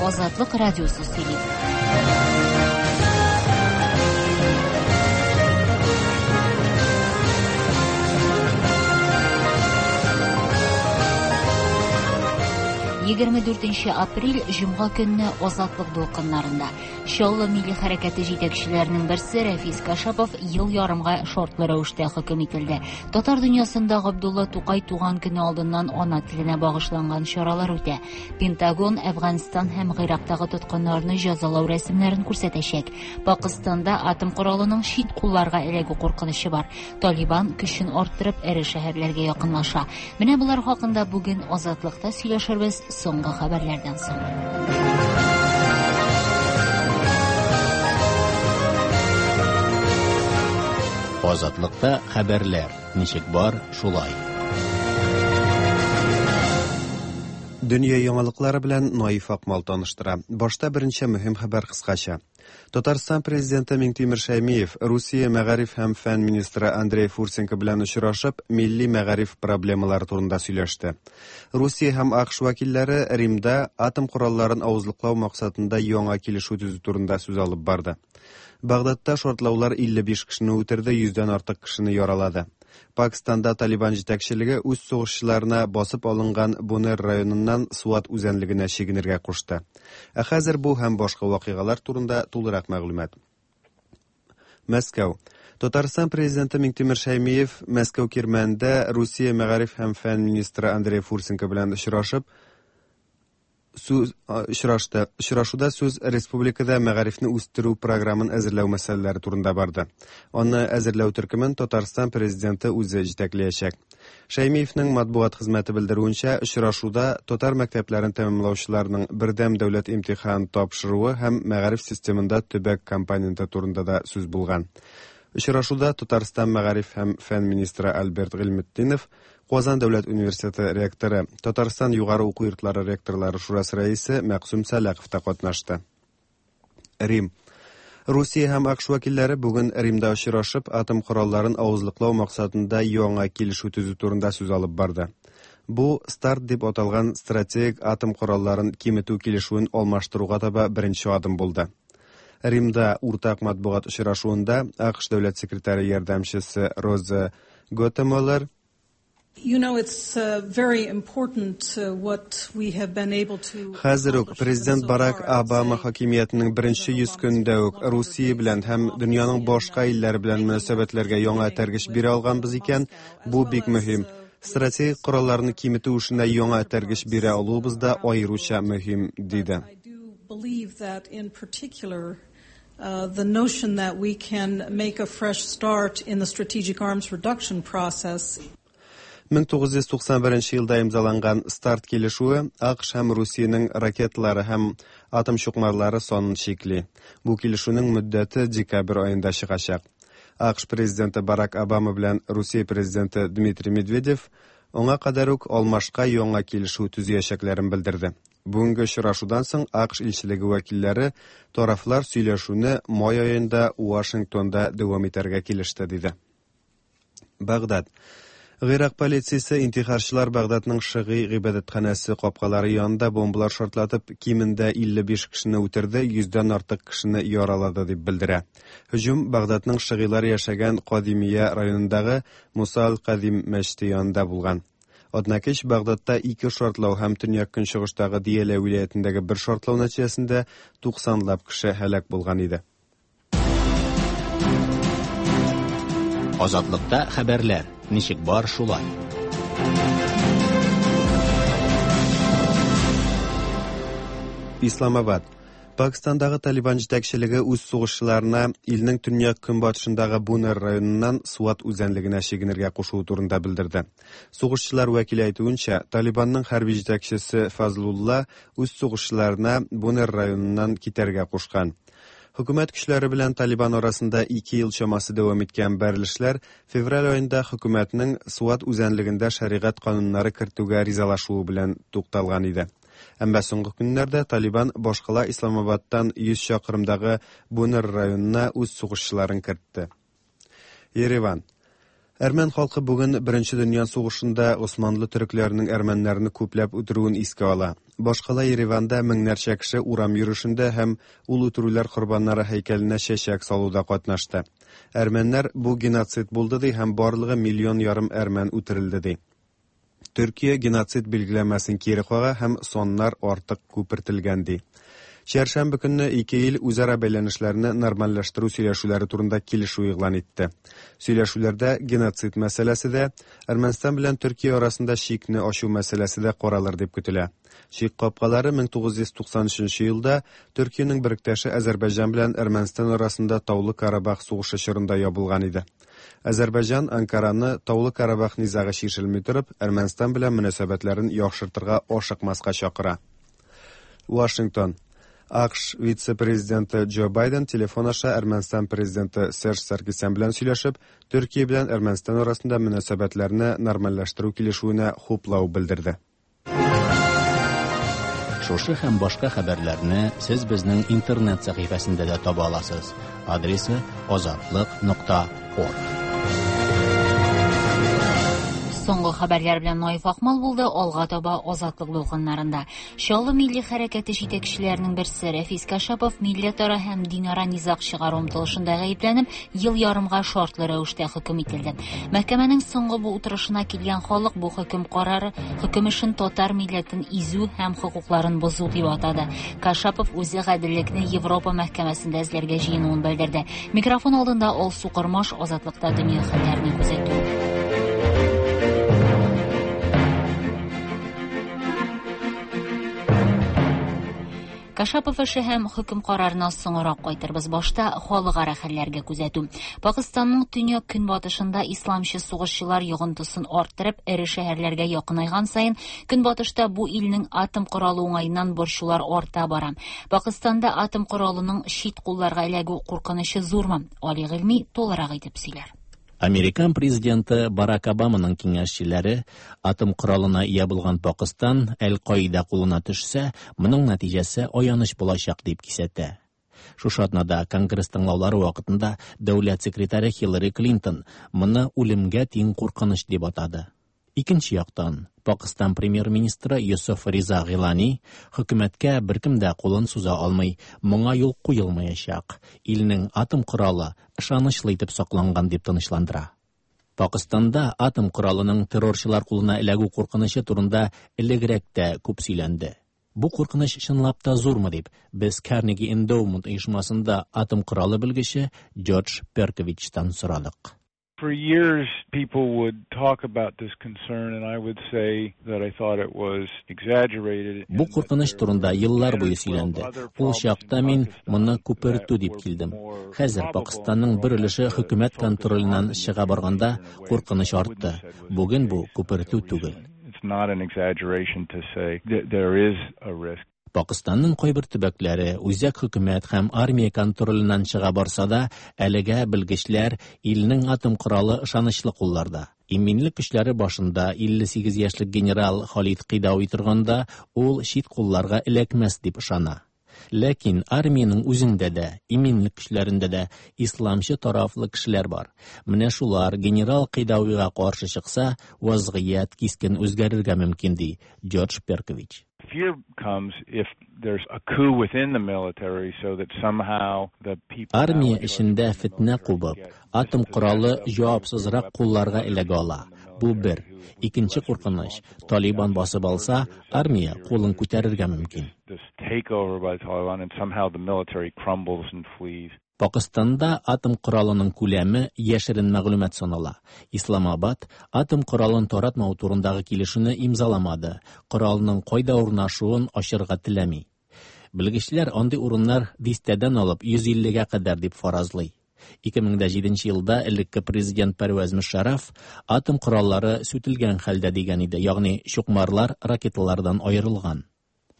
Азатлык радиосы сөйли. 24 апрель җомга көнне Азатлык дулкыннарында. Чаллы милли хәрәкәте җитәкчеләренең берсе Рәфис Кашапов ел ярымга шартлы рәвештә хөкем ителде. Татар дөньясында Габдулла Тукай туган көне алдыннан ана теленә багышланган чаралар үтә. Пентагон Әфганстан һәм Гыйрактагы тоткыннарны җәзалау рәсемнәрен күрсәтәчәк. Пакыстанда атом коралының чит кулларга эләгү куркынычы бар. Талибан көчен арттырып эре шәһәрләргә якынлаша. Менә болар хакында бүген Азатлыкта сөйләшербез соңгы хәбәрләрдән соң. Азатлыкта хәбәрләр ничек бар, шулай. Дөнья яңалыклары белән Наиф Акмал таныштыра. Башта берничә мөһим хәбәр кыскача. Татарстан президенты Миңтимер Шәймиев Русия мәгариф һәм фән министры Андрей Фурсенко белән очрашып, милли мәгариф проблемалары турында сөйләште. Русия һәм АКШ вәкилләре Римда атом коралларын авызлыклау максатында яңа килешү төзү турында сүз алып барды. Багдадта шартлаулар 55 кешене үтерде, 100дән артык кешене яралады. Пакистанда Талибан җитәкчелеге үз сугышчыларына басып алынган Бунер районыннан Суат үзәнлегенә чигенергә кушты. Ә хәзер бу һәм башка вакыйгалар турында тулырак мәгълүмат. Мәскәү. Татарстан президенты Миңтимер Шәймиев Мәскәү кирмәнендә Русия мәгариф һәм фән министры Андрей Фурсенко белән очрашып, сүз очрашты. Очрашуда сүз республикада мәгарифне үстерү програмын әзерләү мәсьәләләре турында барды. Аны әзерләү төркемен Татарстан президенты үзе җитәкләячәк. Шәймиевнең матбугат хезмәте белдерүенчә, очрашуда татар мәктәпләрен тәмамлаучыларның бердәм дәүләт имтихан тапшыруы һәм мәгариф системында төбәк компоненты турында да сүз булган. Очрашуда Татарстан мәгариф һәм фән министры Альберт Гыйльметдинов, Казан дәүләт университеты ректоры, Татарстан югары уку йортлары ректорлары шурасы рәисе Мәкъсүм Сәлахов та катнашты. Рим. Русия һәм АКШ вәкилләре бүген Римда очрашып, атом коралларын авызлыклау максатында яңа килешү төзү турында сүз алып барды. Бу старт дип аталган стратегик атом коралларын киметү килешүен алмаштыруга таба беренче адым булды. Римда уртак матбугат очрашуында АКШ дәүләт секретаре ярдәмчесе Роза Готемолер Хәзер үк президент Барак Обама хакимиятенең беренче 100 көнендә үк Русия белән һәм дөньяның башка илләре белән мөнәсәбәтләргә яңа этәргеч бирә алганбыз икән, бу бик мөһим. Стратегик коралларны киметү эшенә яңа этәргеч бирә алуыбыз да аеруча мөһим, диде. The notion that we can make a fresh start in the strategic arms reduction process. 1991 елда имзаланган старт килешүе АКШ һәм Русиянең ракеталары һәм атом чукмарлары санын чикли. Бу килешүнең мөддәте декабрь аенда чыгачак. АКШ президенты Барак Обама белән Русия президенты Дмитрий Медведев аңа кадәр үк алмашка яңа килешү төзиячәкләрен белдерде. Бүгенге очрашудан соң АКШ илчелеге вәкилләре тарафлар сөйләшүне май аенда Вашингтонда дәвам итәргә килеште, диде. Багдад. Гыйрак полициясе интихарчылар Багдадның шыгый гыйбадәтханәсе капкалары янында бомбалар шартлатып, кимендә 55 кешене үтерде, 100дән артык кешене яралады дип белдерә. Һөҗүм Багдадның шыгыйлар яшәгән Кадимия районындагы Муса аль-Кадим мәчете янында булган. Атнакич Багдадта ике шартлау һәм төньяк-көнчыгыштагы Диялә вилаятендәге бер шартлау нәтиҗәсендә 90лап кеше һәлак булган иде. Азатлыкта хәбәрләр ничек бар, шулай. Исламабад. Пакистандагы Талибан җитәкчелеге үз сугышчыларына илнең төньяк көнбатышындагы Бунер районыннан Суат үзәнлегенә чигенергә кушуы турында белдерде. Сугышчылар вәкиле әйтүенчә, Талибанның хәрби җитәкчесе Фазлулла үз сугышчыларына Бунер районыннан китәргә кушкан. Хөкүмәт көчләре белән Талибан арасында 2 ел чамасы дәвам иткән бәрелешләр февраль аенда хөкүмәтнең Суат үзәнлегендә шәригать кануннары кертүгә ризалашуы белән тукталган иде. Әмма соңгы көннәрдә Талибан башкала Исламабадтан 100 чакрымдагы Бунер районына үз сугышчыларын кертте. Ереван. Әрмән халкы бүген Беренче дөнья сугышында Османлы төрекләренең әрмәннәрне күпләп үтерүен искә ала. Башкала Ереванда меңнәрчә кеше урам йөрешендә һәм ул үтерүләр корбаннары һәйкәленә чәчәк салуда катнашты. Әрмәннәр бу геноцид булды ди һәм барлыгы миллион ярым әрмән үтерелде ди. Төркия геноцид билгеләмәсен кире кага һәм саннар артык күпертелгән ди. Чәршәмбе көнне ике ил үзара бәйләнешләрне нормальләштерү сөйләшүләре турында килешү игълан итте. Сөйләшүләрдә геноцид мәсьәләсе дә, Әрмәнстан белән Төркия арасында чикне ачу мәсьәләсе дә каралыр дип көтелә. Чик капкалары 1993 елда Төркиянең беректәше Азәрбайҗан белән Әрмәнстан арасында Таулы Карабах сугышы чорында ябылган иде. Азәрбайҗан Анкараны Таулы Карабах низагы чишелми торып, Әрмәнстан белән мөнәсәбәтләрен яхшыртырга ашыкмаска чакыра. Вашингтон. АКШ вице-президенты Джо Байден телефон аша Әрмәнстан президенты Серж Саркисян белән сөйләшеп, Төркия белән Әрмәнстан арасында мөнәсәбәтләрне нормальләштерү килешүенә хуплау белдерде. Шушы һәм башка хәбәрләрне сез безнең интернет сәхифәсендә дә таба аласыз. Адресы azatliq.org. Соңгы хәбәрләр белән Наиф Акмал булды, алга таба Азатлык дулкыннарында. Чаллы милли хәрәкәте җитәкчеләренең берсе Рәфис Кашапов милләтара һәм динара низаг чыгару омтылышында гаепләнеп, ел ярымга шартлы рәвештә хөкем ителде. Мәхкәмәнең соңгы бу утырышына килгән халык бу хөкем карары хөкем эшен татар милләтен изү һәм хокукларын бозу дип атады. Кашапов үзе гаделлекне Европа мәхкәмәсендә эзләргә җыенуын белдерде. Микрофон алдында Алсу Кормаш, Азатлыкта дөнья хәлләрен күзәтү. Кашапов эше һәм хөкем карарына соңрак кайтырбыз. Башта халыкара хәлләргә күзәтү. Пакистанның төньяк көнбатышында исламчы сугышчылар йогынтысын арттырып, эре шәһәрләргә якынайган саен, көнбатышта бу илнең атом коралы уңаеннан борчулар арта бара. Пакистанда атом коралының чит кулларга эләгү куркынычы зурмы? Али Гыйльми тулырак итеп сөйләр. Американ президенты Барак Обаманың киңәшчеләре атом коралына ия булган Пакистан Әл-Каида кулына төшсә, моның нәтиҗәсе аяныч булачак дип кисәтә. Шушы атнада Конгресс тыңлаулары вакытында дәүләт секретаре Хиллари Клинтон моны үлемгә тиң куркыныч дип атады. Икенче яктан, Пакистан премьер-министры Йосыф Риза Гилани хөкүмәткә беркем дә кулын суза алмый, моңа юл куелмаячак. Илнең атом коралы ышанычлы итеп сакланган дип тынычландыра. Пакистанда атом коралының террорчылар кулына эләгү куркынычы турында элегрәк тә күп сөйләнде. Бу куркыныч чынлап та зурмы дип, без Carnegie Endowment оешмасында атом коралы белгече Джордж Перковичтан сорадык. For years, people would talk about this concern, and I would say that I thought it was exaggerated. Бу куркыныч турында еллар буе сөйләнде. Ул чакта мин моны күпертү дип килдем. Хәзер Пакистанның бер өлеше хөкүмәт контроленнән чыга барганда куркыныч артты. Бүген бу күпертү түгел. It's not an exaggeration to say that there is a risk. Пакистанның кайбер төбәкләре үзәк хөкүмәт һәм армия контроленнән чыга барса да, әлегә белгечләр илнең атом коралы ышанычлы кулларда. Иминлек көчләре башында 58 яшьлек генерал Халид Кыйдауи торганда, ул чит кулларга эләкмәс дип ышана. Ләкин армиянең үзендә дә, иминлек көчләрендә дә исламчы тарафлы кешеләр бар. Менә шулар генерал Кыйдауига каршы чыкса, вазгыять кискен үзгәрергә мөмкин, ди Джордж Перкович. Fear comes if there's a coup within the military so that somehow the people Армия эчендә фетнә кубып, атом коралы җавапсызрак кулларга эләгә ала. Бу бер. Икенче куркыныч, Талибан басып алса, армия кулын күтәрергә мөмкин. This takeover by Taliban and somehow the military crumbles and flees. Пакистанда атом коралының күләме яшерен мәгълүмат санала. Исламабад атом коралын таратмау турындагы килешүне имзаламады. Коралның кайда урнашуын ачырга теләми. Белгечләр андый урыннар дистәдән алып 150-гә кадәр дип фаразлый. 2007 елда элекке президент Пәрвәз Мөшәррәф атом кораллары сүтелгән хәлдә дигән иде, ягъни чукмарлар ракеталардан аерылган.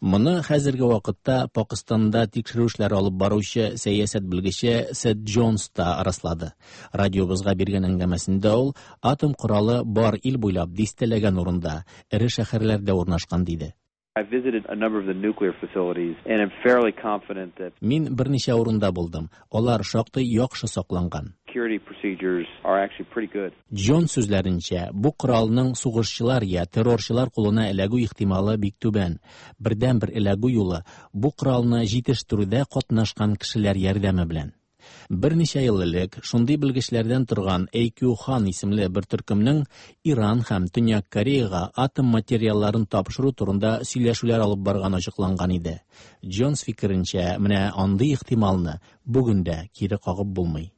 Моны хәзерге вакытта Пакистанда тикшерү эшләре алып баручы сәясәт белгече Сет Джонс та раслады. Радиобызга биргән әңгәмәсендә ул атом коралы бар ил буйлап дистәләгән урында, эре шәһәрләрдә урнашкан диде. I visited a number of the nuclear facilities and am fairly confident that Мин берничә урында булдым. Алар шактый яхшы сакланган. security procedures are actually pretty good. Джон сүзләренчә, бу коралның сугышчылар я террорчылар кулына эләгү ихтималы бик түбән. Бердәнбер эләгү юлы бу коралны җитештерүдә катнашкан кешеләр ярдәме белән. Берничә ел элек шундый белгечләрдән торган AQ Хан исемле бер төркемнең Иран һәм Төньяк Кореяга атом материалларын тапшыру турында сөйләшүләр алып барган ачыкланган иде. Джонс фикеренчә, менә андый ихтималны бүген дә кире кагып булмый.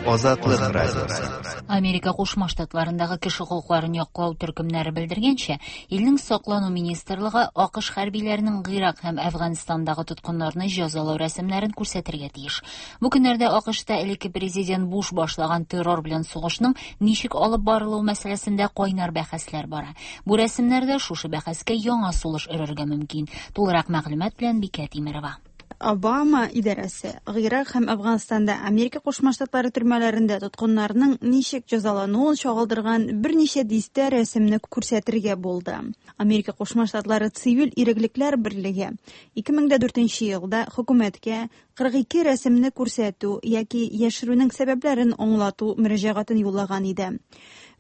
Азатлык радиосы. Америка Кушма Штатларындагы кеше хокукларын яклау төркемнәре белдергәнчә, илнең саклану министрлыгы АКШ хәрбиләренең Гыйрак һәм Әфганстандагы тоткыннарны җәзалау рәсемнәрен күрсәтергә тиеш. Бу көннәрдә АКШта элекке президент Буш башлаган террор белән сугышның ничек алып барылуы мәсьәләсендә кайнар бәхәсләр бара. Бу рәсемнәрдә шушы бәхәскә яңа сулыш өрергә мөмкин. Тулырак мәгълүмат белән Бикә Тимерова. Обама идарәсе Гыйрак һәм Әфганстанда Америка Кушма Штатлары төрмәләрендә тоткыннарның ничек җәзалануын чагылдырган берничә дистә рәсемне күрсәтергә булды. Америка Кушма Штатлары цивиль иреклекләр берлеге 2004 елда хөкүмәткә 42 рәсемне күрсәтү яки яшерүнең сәбәпләрен аңлату мөрәҗәгатен юллаган иде.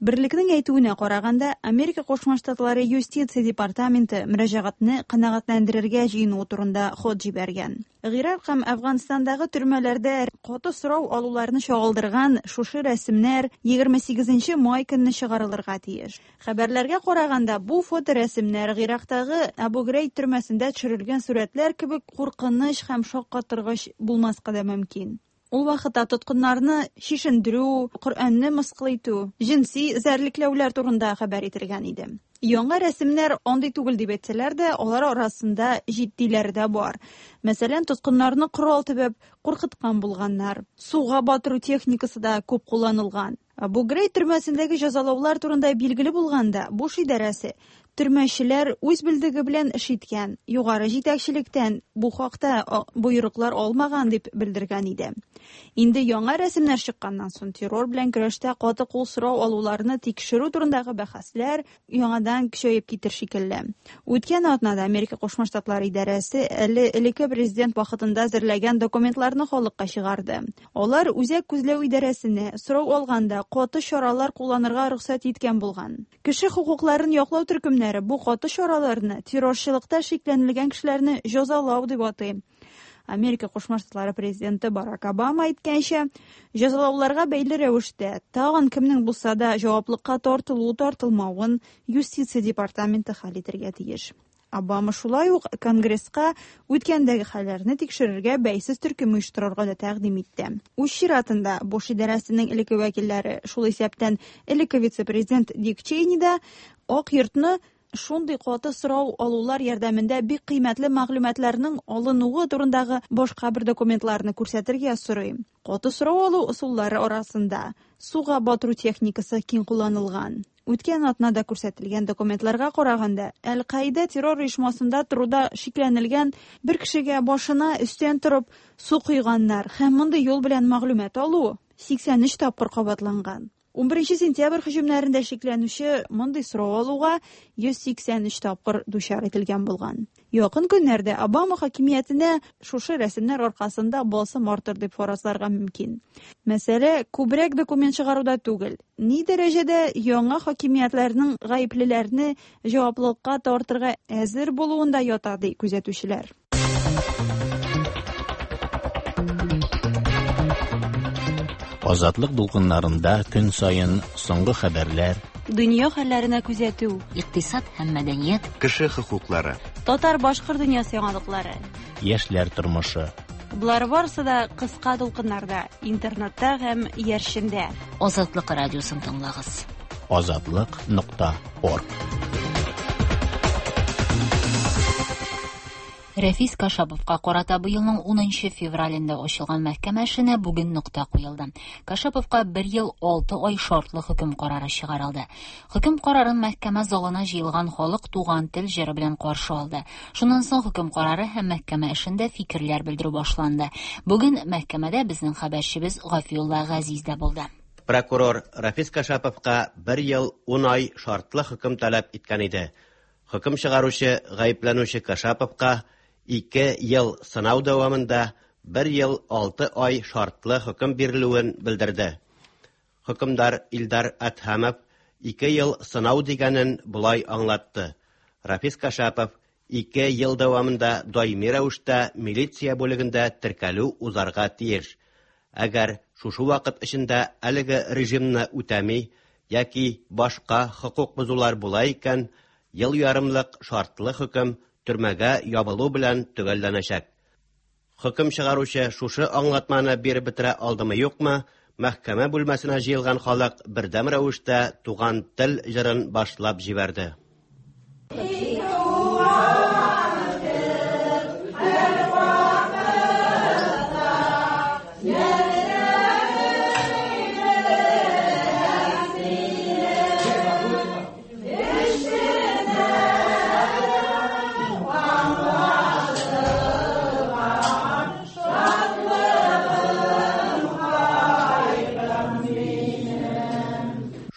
Берлекнең әйтүенә караганда, Америка Кушма Штатлары юстиция департаменты мөрәҗәгатьне канәгатьләндерергә җыенуы турында хат җибәргән. Гыйрак һәм Әфганстандагы төрмәләрдә каты сорау алуларны чагылдырган шушы рәсемнәр 28 май көнне чыгарылырга тиеш. Хәбәрләргә караганда, бу фоторәсемнәр Гыйрактагы Абу Грейб төрмәсендә төшерелгән сурәтләр кебек куркыныч һәм шаккатыргыч булмаска да мөмкин. Ул вакытта тоткыннарны чишендерү, Коръәнне мыскыл итү, җенси эзәрлекләүләр турында хәбәр ителгән иде. Яңа рәсемнәр андый түгел дип әйтсәләр дә, алар арасында җитдиләре дә бар. Мәсәлән, тоткыннарны корал төбәп куркыткан булганнар. Суга батыру техникасы да күп кулланылган. Абу Грейб төрмәсендәге җәзалаулар турында билгеле булганда, Буш идарәсе төрмәчеләр үз белдеге белән эш иткән, югары җитәкчелектән бу хакта боерыклар алмаган дип белдергән иде. Инде яңа рәсемнәр чыкканнан соң террор белән көрәштә каты кул сорау алуларны тикшерү турындагы бәхәсләр яңадан көчәеп китер шикелле. Үткән атнада Америка Кушма Штатлары идарәсе әле элекке президент вакытында әзерләгән документларны халыкка чыгарды. Алар үзәк күзләү идарәсенә сорау алганда каты чаралар кулланырга рөхсәт иткән булган. Кеше хокукларын яклау төркемнәре бу каты чараларны террорчылыкта шикләнелгән кешеләрне җәзалау дип атый. Америка Кушма Штатлары президенты Барак Обама әйткәнчә, җәзалауларга бәйле рәвештә тагын кемнең булса да җаваплыкка тартылу тартылмавын юстиция департаменты хәл итәргә тиеш. Обама шулай ук Конгресска үткәндәге хәлләрне тикшерергә бәйсез төркем оештырырга да тәкъдим итте. Үз чиратында Буш идарәсенең элекке вәкилләре, шул исәптән элекке вице-президент Дик Чейни да Ак йортны шундый каты сорау алулар ярдәмендә бик кыйммәтле мәгълүматларның алынуы турындагы башка бер документларны күрсәтергә сорый. Каты сорау алу ысуллары арасында суга батыру техникасы киң кулланылган. Үткән атнада күрсәтелгән документларга караганда, Әл-Каида террор оешмасында торуда шикләнелгән бер кешегә башына өстән торып су койганнар һәм мондый юл белән мәгълүмат алу 83 тапкыр кабатланган. 11 сентябрь һөҗүмнәрендә шикләнүче мондый сорау алуга 183 тапкыр дучар ителгән булган. Якын көннәрдә Обама хакимиятенә шушы рәсемнәр аркасында басым артыр дип фаразларга мөмкин. Мәсьәлә күбрәк документ чыгаруда түгел. Ни дәрәҗәдә яңа хакимиятләрнең гаеплеләрне җаваплылыкка тартырга әзер булуында ята, ди күзәтүчеләр. Азатлык дулкыннарында көн саен соңгы хәбәрләр, дөнья хәлләренә күзәтү, икътисад һәм мәдәният, кеше хокуклары, татар-башкорт дөньясы яңалыклары, яшьләр тормышы. Болар барысы да кыска дулкыннарда, интернетта һәм иярчендә. Азатлык радиосын тыңлагыз. Азатлык.орг. Рәфис Кашаповка карата быелның 10 февралендә ачылган мәхкәмә эшенә бүген нокта куелды. Кашаповка 1 ел 6 ай шартлы хөкем карары чыгарылды. Хөкем карарын мәхкәмә залына җыелган халык туган тел җыры белән каршы алды. Шуннан соң хөкем карары һәм мәхкәмә эшендә фикерләр белдерү башланды. Бүген мәхкәмәдә безнең хәбәрчебез Гафиулла Газиз дә булды. Прокурор Рафис Кашаповка 1 ел 10 ай шартлы хөкем таләп иткән иде. Хөкем чыгаручы гаепләнүче Кашаповка 2 ел сынау дәвамында 1 ел 6 ай шартлы хөкем бирелүен белдерде. Хөкемдар Илдар Әдһәмов 2 ел сынау дигәнен болай аңлатты. Рафис Кашапов 2 ел дәвамында даими рәвештә милиция бүлегендә теркәлү узарга тиеш. Әгәр шушы вакыт эчендә әлеге режимны үтәми яки башка хокук бозулар була икән, ел ярымлык шартлы хөкем төрмәгә ябылу белән төгәлләнәчәк. Хөкем чыгаручы шушы аңлатманы биреп бетерә алдымы юкмы, мәхкәмә бүлмәсенә җыелган халык бердәм рәвештә Туган тел җырын башлап җибәрде.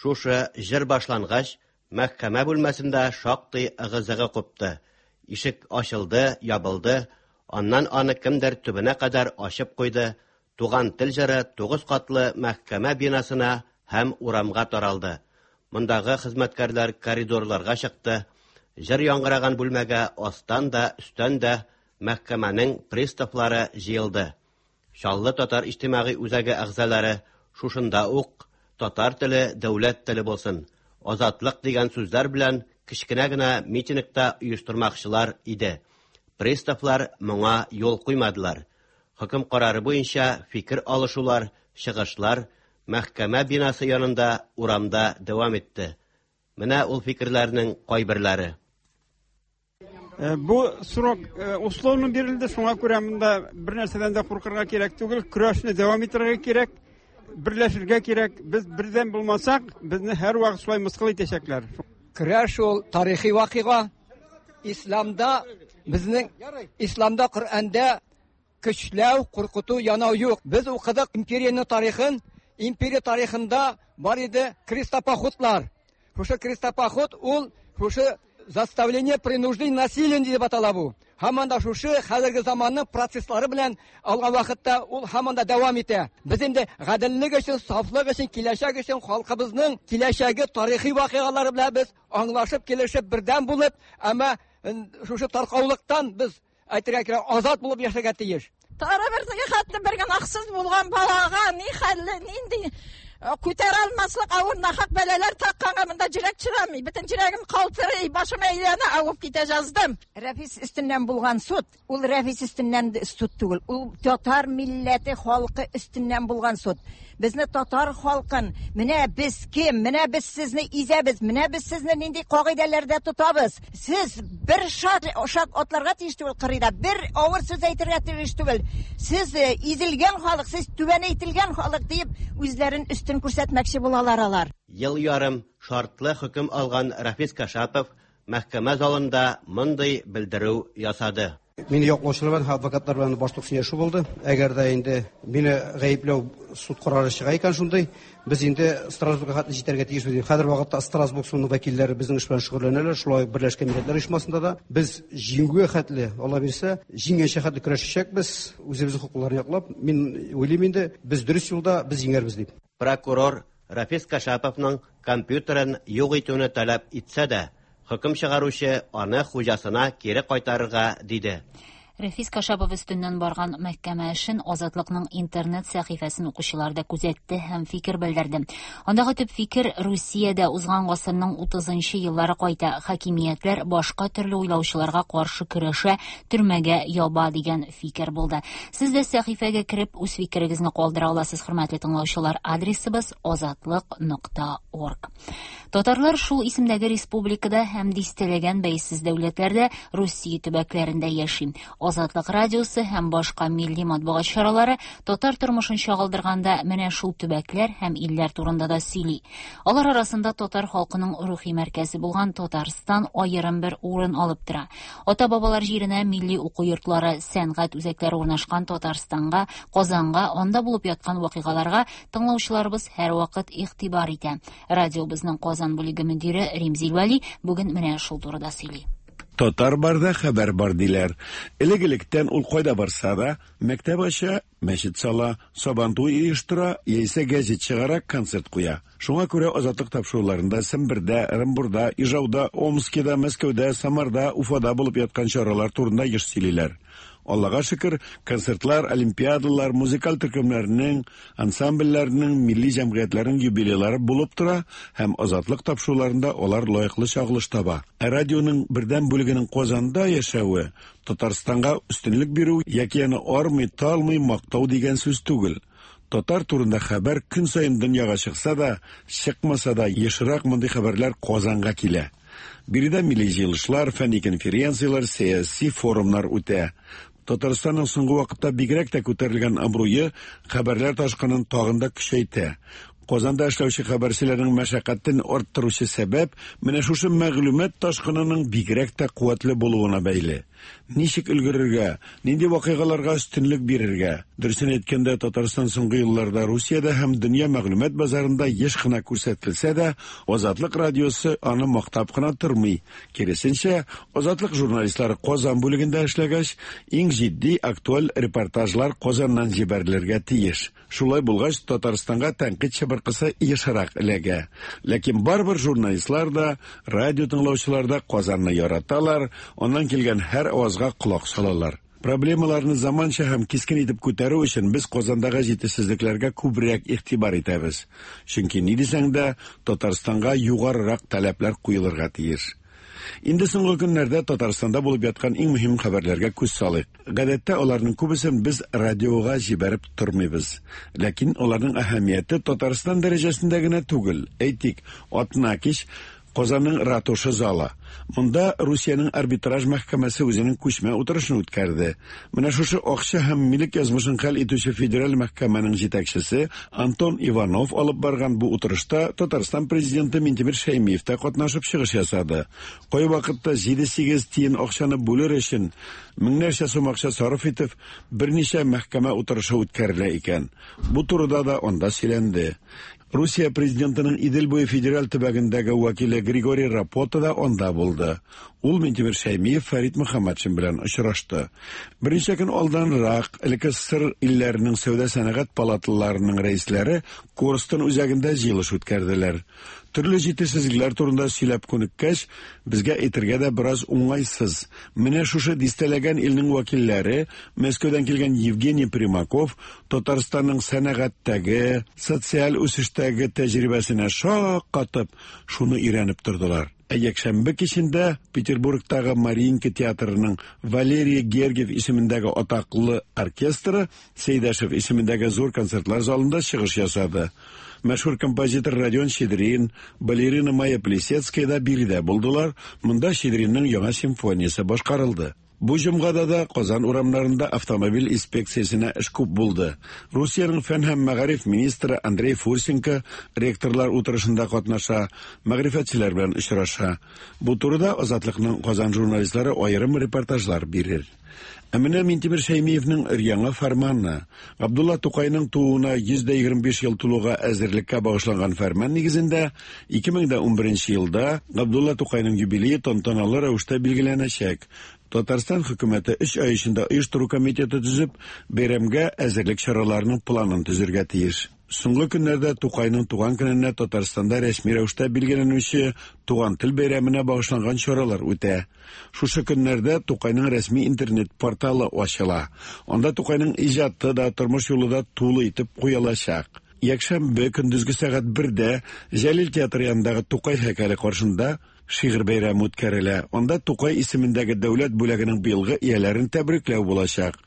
Шушы җыр башлангач, мәхкәмә бүлмәсендә шактый ыгы-зыгы купты. Ишек ачылды, ябылды, аннан аны кемдер төбенә кадәр ачып куйды. Туган тел җыры 9 катлы мәхкәмә бинасына һәм урамга таралды. Мондагы хезмәткәрләр коридорларга чыкты. Җыр яңгыраган бүлмәгә астан да, өстән дә мәхкәмәнең приставлары җыелды. Чаллы татар иҗтимагый үзәге әгъзалары шушында ук татар теле дәүләт теле булсын, азатлык дигән сүзләр белән кечкенә генә митингта оештырмакчылар иде. Приставлар моңа юл куймадылар. Хөкем карары буенча фикер алышулар, чыгышлар мәхкәмә бинасы янында урамда дәвам итте. Менә ул фикерләрнең кайберләре. Бу срок условно бирелде, шуңа күрә монда бер нәрсәдән дә куркырга кирәк түгел, көрәшне дәвам итәргә кирәк, берләшергә кирәк. Без бердәм булмасак, безне һәрвакыт шулай мыскыл итәчәкләр. Көрәш ул тарихи вакыйга. Исламда безнең Исламда Коръәндә көчләү, куркыту, янау юк. Без укыдык империянең тарихын. Империя тарихында бар иде крестопоходлар. Шушы крестопоход ул шушы заставление, принуждение, насилие дип атала бу. Һаман да шушы хәзерге заманның процесслары белән алган вакытта ул һаман да дәвам итә. Без инде гаделлек өчен, сафлык өчен, киләчәк өчен, халкыбызның киләчәге тарихи вакыйгалары белән без аңлашып, килешеп, бердәм булып, әмма шушы таркаулыктан без әйтергә кирәк, азат булып яшәргә тиеш. Тары бер теге хәтле бер гөнаһсыз булган балага ни хәлле, нинди күтәрә алмаслык авыр нахак бәлаләр такканга монда йөрәк чыдамый. Бөтен йөрәгем калтырый, башым әйләнә, авып китә жаздым. Рәфис өстеннән булган суд, ул Рәфис өстеннән суд түгел, ул татар милләте халкы өстеннән булган суд. Безне татар халкын, менә без кем, менә без сезне изәбез, менә без сезне нинди кагыйдәләрдә тотабыз. Сез бер шат, шат атларга тиеш түгел кырыйда, бер авыр сүз әйтергә тиеш түгел. Сез изелгән халык, сез түбәнәйтелгән халык диеп үзләрен өстен күрсәтмәкче булалар алар. Ел ярым шартлы хөкем алган Рафис Кашапов мәхкәмә залында мондый белдерү ясады. Мине яклаучылар белән, адвокатлар белән башлык сөйләшү булды. Әгәр дә инде мине гаепләү суд карары чыга икән шундый, без инде Страсбургка хәтле җитәргә тиешбез. Хәзер вакытта Страсбург судының вәкилләре безнең эш белән шөгыльләнәләр, шулай ук Берләшкән Милләтләр Оешмасында да. Без җиңүгә хәтле, Алла бирсә, җиңгәнчә хәтле көрәшәчәкбез, үзебезнең хокукларны яклап. Мин уйлыйм инде, без дөрес юлда, без җиңәрбез дип. Прокурор Рафис Кашаповның компьютерын юк итүне таләп итсә дә, хөкем чыгаручы аны хуҗасына кире кайтарырга диде. Рәфис Кашапов өстеннән барган мәхкәмә эшен Азатлыкның интернет сәхифәсен укучылар да күзәтте һәм фикер белдерде. Андагы төп фикер Русиядә узган гасырның 30 еллары кайта, хакимиятләр башка төрле уйлаучыларга каршы көрәшә, төрмәгә яба дигән фикер булды. Сез дә сәхифәгә кереп үз фикерегезне калдыра аласыз, хөрмәтле тыңлаучылар. Адресыбыз азатлык.орг. Татарлар шул исемдәге республикада һәм дистәләгән бәйсез дәүләтләрдә Русия төбәкләрендә яши. Азатлык радиосы һәм башка милли матбугат чаралары татар тормышын чагылдырганда менә шул төбәкләр һәм илләр турында да сөйли. Алар арасында татар халкының рухи мәркәзе булган Татарстан аерым бер урын алып тора. Ата-бабалар җиренә милли уку йортлары, сәнгать үзәкләре урнашкан Татарстанга, Казанга, анда булып яткан вакыйгаларга тыңлаучыларыбыз һәрвакыт игътибар итә. Радиобызның Казан бүлеге мөдире Римзил Вәли бүген менә шул турыда сөйли. Татар барда хәбәр бар диләр. Элек-электән ул кайда барса да, мәктәп ача, мәчет сала, сабантуй оештыра, яисә гәзит чыгара, концерт куя. Шуңа күрә Азатлык тапшыруларында Сембердә, Ырынбурда, Ижауда, Омскида, Мәскәүдә, Самарда, Уфада булып яткан чаралар турында еш сөйлиләр. Аллага шөкер, концертлар, олимпиадалар, музыкаль төркемнәрнең, ансамбльләрнең, милли җәмгыятьләрнең юбилейлары булып тора һәм Азатлык тапшыруларында алар лаеклы чагылыш таба. Ә радионың бердәм бүлегенең Казанда яшәве Татарстанга өстенлек бирү яки аны армый, талмый мактау дигән сүз түгел. Татар турында хәбәр көн саен дөньяга чыкса да, чыкмаса да, ешрак мондый хәбәрләр Казанга килә. Биредә милли җыелышлар, фәнни конференцияләр, сәяси форумнар үтә. Татарстанның соңгы вакытта бигрәк тә күтәрелгән абруе хәбәрләр ташкынын тагын да көчәйтә. Казанда эшләүче хәбәрчеләрнең мәшәкатен арттыручы сәбәп менә шушы мәгълүмат ташкынының бигрәк тә куәтле булуына бәйле. Ничек өлгерергә, нинди вакыйгаларга өстенлек бирергә? Дөресен әйткәндә, Татарстан соңгы елларда Русиядә һәм дөнья мәгълүмат базарында еш кына күрсәтелсә дә, Азатлык радиосы аны мактап кына тормый. Киресенчә, Азатлык журналистлары Казан бүлегендә эшләгәч, иң җитди, актуаль репортажлар Казаннан җибәрелергә тиеш. Шулай булгач, Татарстанга тәнкыйть чыбыркысы ешрак эләгә. Ләкин барыбер журналистлар да, радио тыңлаучылар да Казанны яраталар, аннан килгән һәр авазга колак салалар. Проблемаларны заманча һәм кискен итеп күтәрү өчен без Казандагы җитешсезлекләргә күбрәк игътибар итәбез. Чөнки ни дисәң дә, Татарстанга югарырак таләпләр куелырга тиеш. Инде соңгы көннәрдә Татарстанда булып яткан иң мөһим хәбәрләргә күз салыйк. Гадәттә аларның күбесен без радиога җибәреп тормыйбыз. Ләкин аларның әһәмияте Татарстан дәрәҗәсендә генә түгел. Әйтик, атна кич Казанның ратуша залы. Монда Русиянең арбитраж мәхкәмәсе үзенең күчмә утырышын үткәрде. Менә шушы акча һәм милек язмышын хәл итүче федераль мәхкәмәнең җитәкчесе Антон Иванов алып барган бу утырышта Татарстан президенты Минтимер Шәймиев та катнашып чыгыш ясады. Кайвакытта 7-8 тиен акчаны бүлер өчен меңнәрчә сум акча сарыф итеп, берничә мәхкәмә утырышы үткәрелә икән. Бу турыда да анда сөйләнде. Русия президентының Идел буе федераль төбәгендәге вәкиле Григорий Рапота да анда булды. Ул Минтимер Шәймиев Фәрит Мөхәммәтшин белән очрашты. Берничә көн алданрак элекке СССР илләренең сәүдә-сәнәгать палаталарының рәисләре Корстон үзәгендә җыелыш үткәрделәр. Төрле җитешсезлекләр турында сөйләп күнеккәч, безгә әйтергә дә бераз уңайсыз. Менә шушы дистәләгән илнең вәкилләре, Мәскәүдән килгән Евгений Примаков Татарстанның сәнәгатьтәге, социаль үсештәге тәҗрибәсенә шаккатып, шуны өйрәнеп тордылар. Ә якшәмбе кичендә Петербургтагы Мариинка театрының Валерий Гергиев исемендәге атаклы оркестры Сәйдәшев исемендәге зур концертлар залында чыгыш ясады. Мәшһүр композитор Родион Щедрин, балерина Майя Плисецкая да биредә булдылар. Монда Щедринның яңа симфониясе башкарылды. Бу җомгада да Казан урамнарында автомобиль инспекциясенә эш күп булды. Русиянең фән һәм мәгариф министры Андрей Фурсенко ректорлар утырышында катнаша, мәгърифәтчеләр белән очраша. Бу турыда Азатлыкның Казан журналистлары аерым репортажлар бирер. Ә менә Минтимер Шәймиевнең өр-яңа фәрманы. Габдулла Тукайның тууына 125 ел тулуга әзерлеккә багышланган фәрман нигезендә 2011 елда Габдулла Тукайның юбилее тантаналы рәвештә билгеләнәчәк. Татарстан хөкүмәте 3 ай эчендә оештыру комитеты төзеп, бәйрәмгә әзерлек чараларының планын төзергә тиеш. Соңгы көннәрдә Тукайның туган көненә Татарстанда рәсми рәвештә билгеләнүче Туган тел бәйрәменә багышланган чаралар үтә. Шушы көннәрдә Тукайның рәсми интернет порталы ачыла. Анда Тукайның иҗаты да, тормыш юлы да тулы итеп куелачак. Якшәмбе көндезге сәгать 1-дә Җәлил театры янындагы Тукай һәйкәле каршында Шигырь бәйрәме үткәрелә. Анда Тукай исемендәге дәүләт бүләгенең быелгы ияләрен тәбрикләү булачак.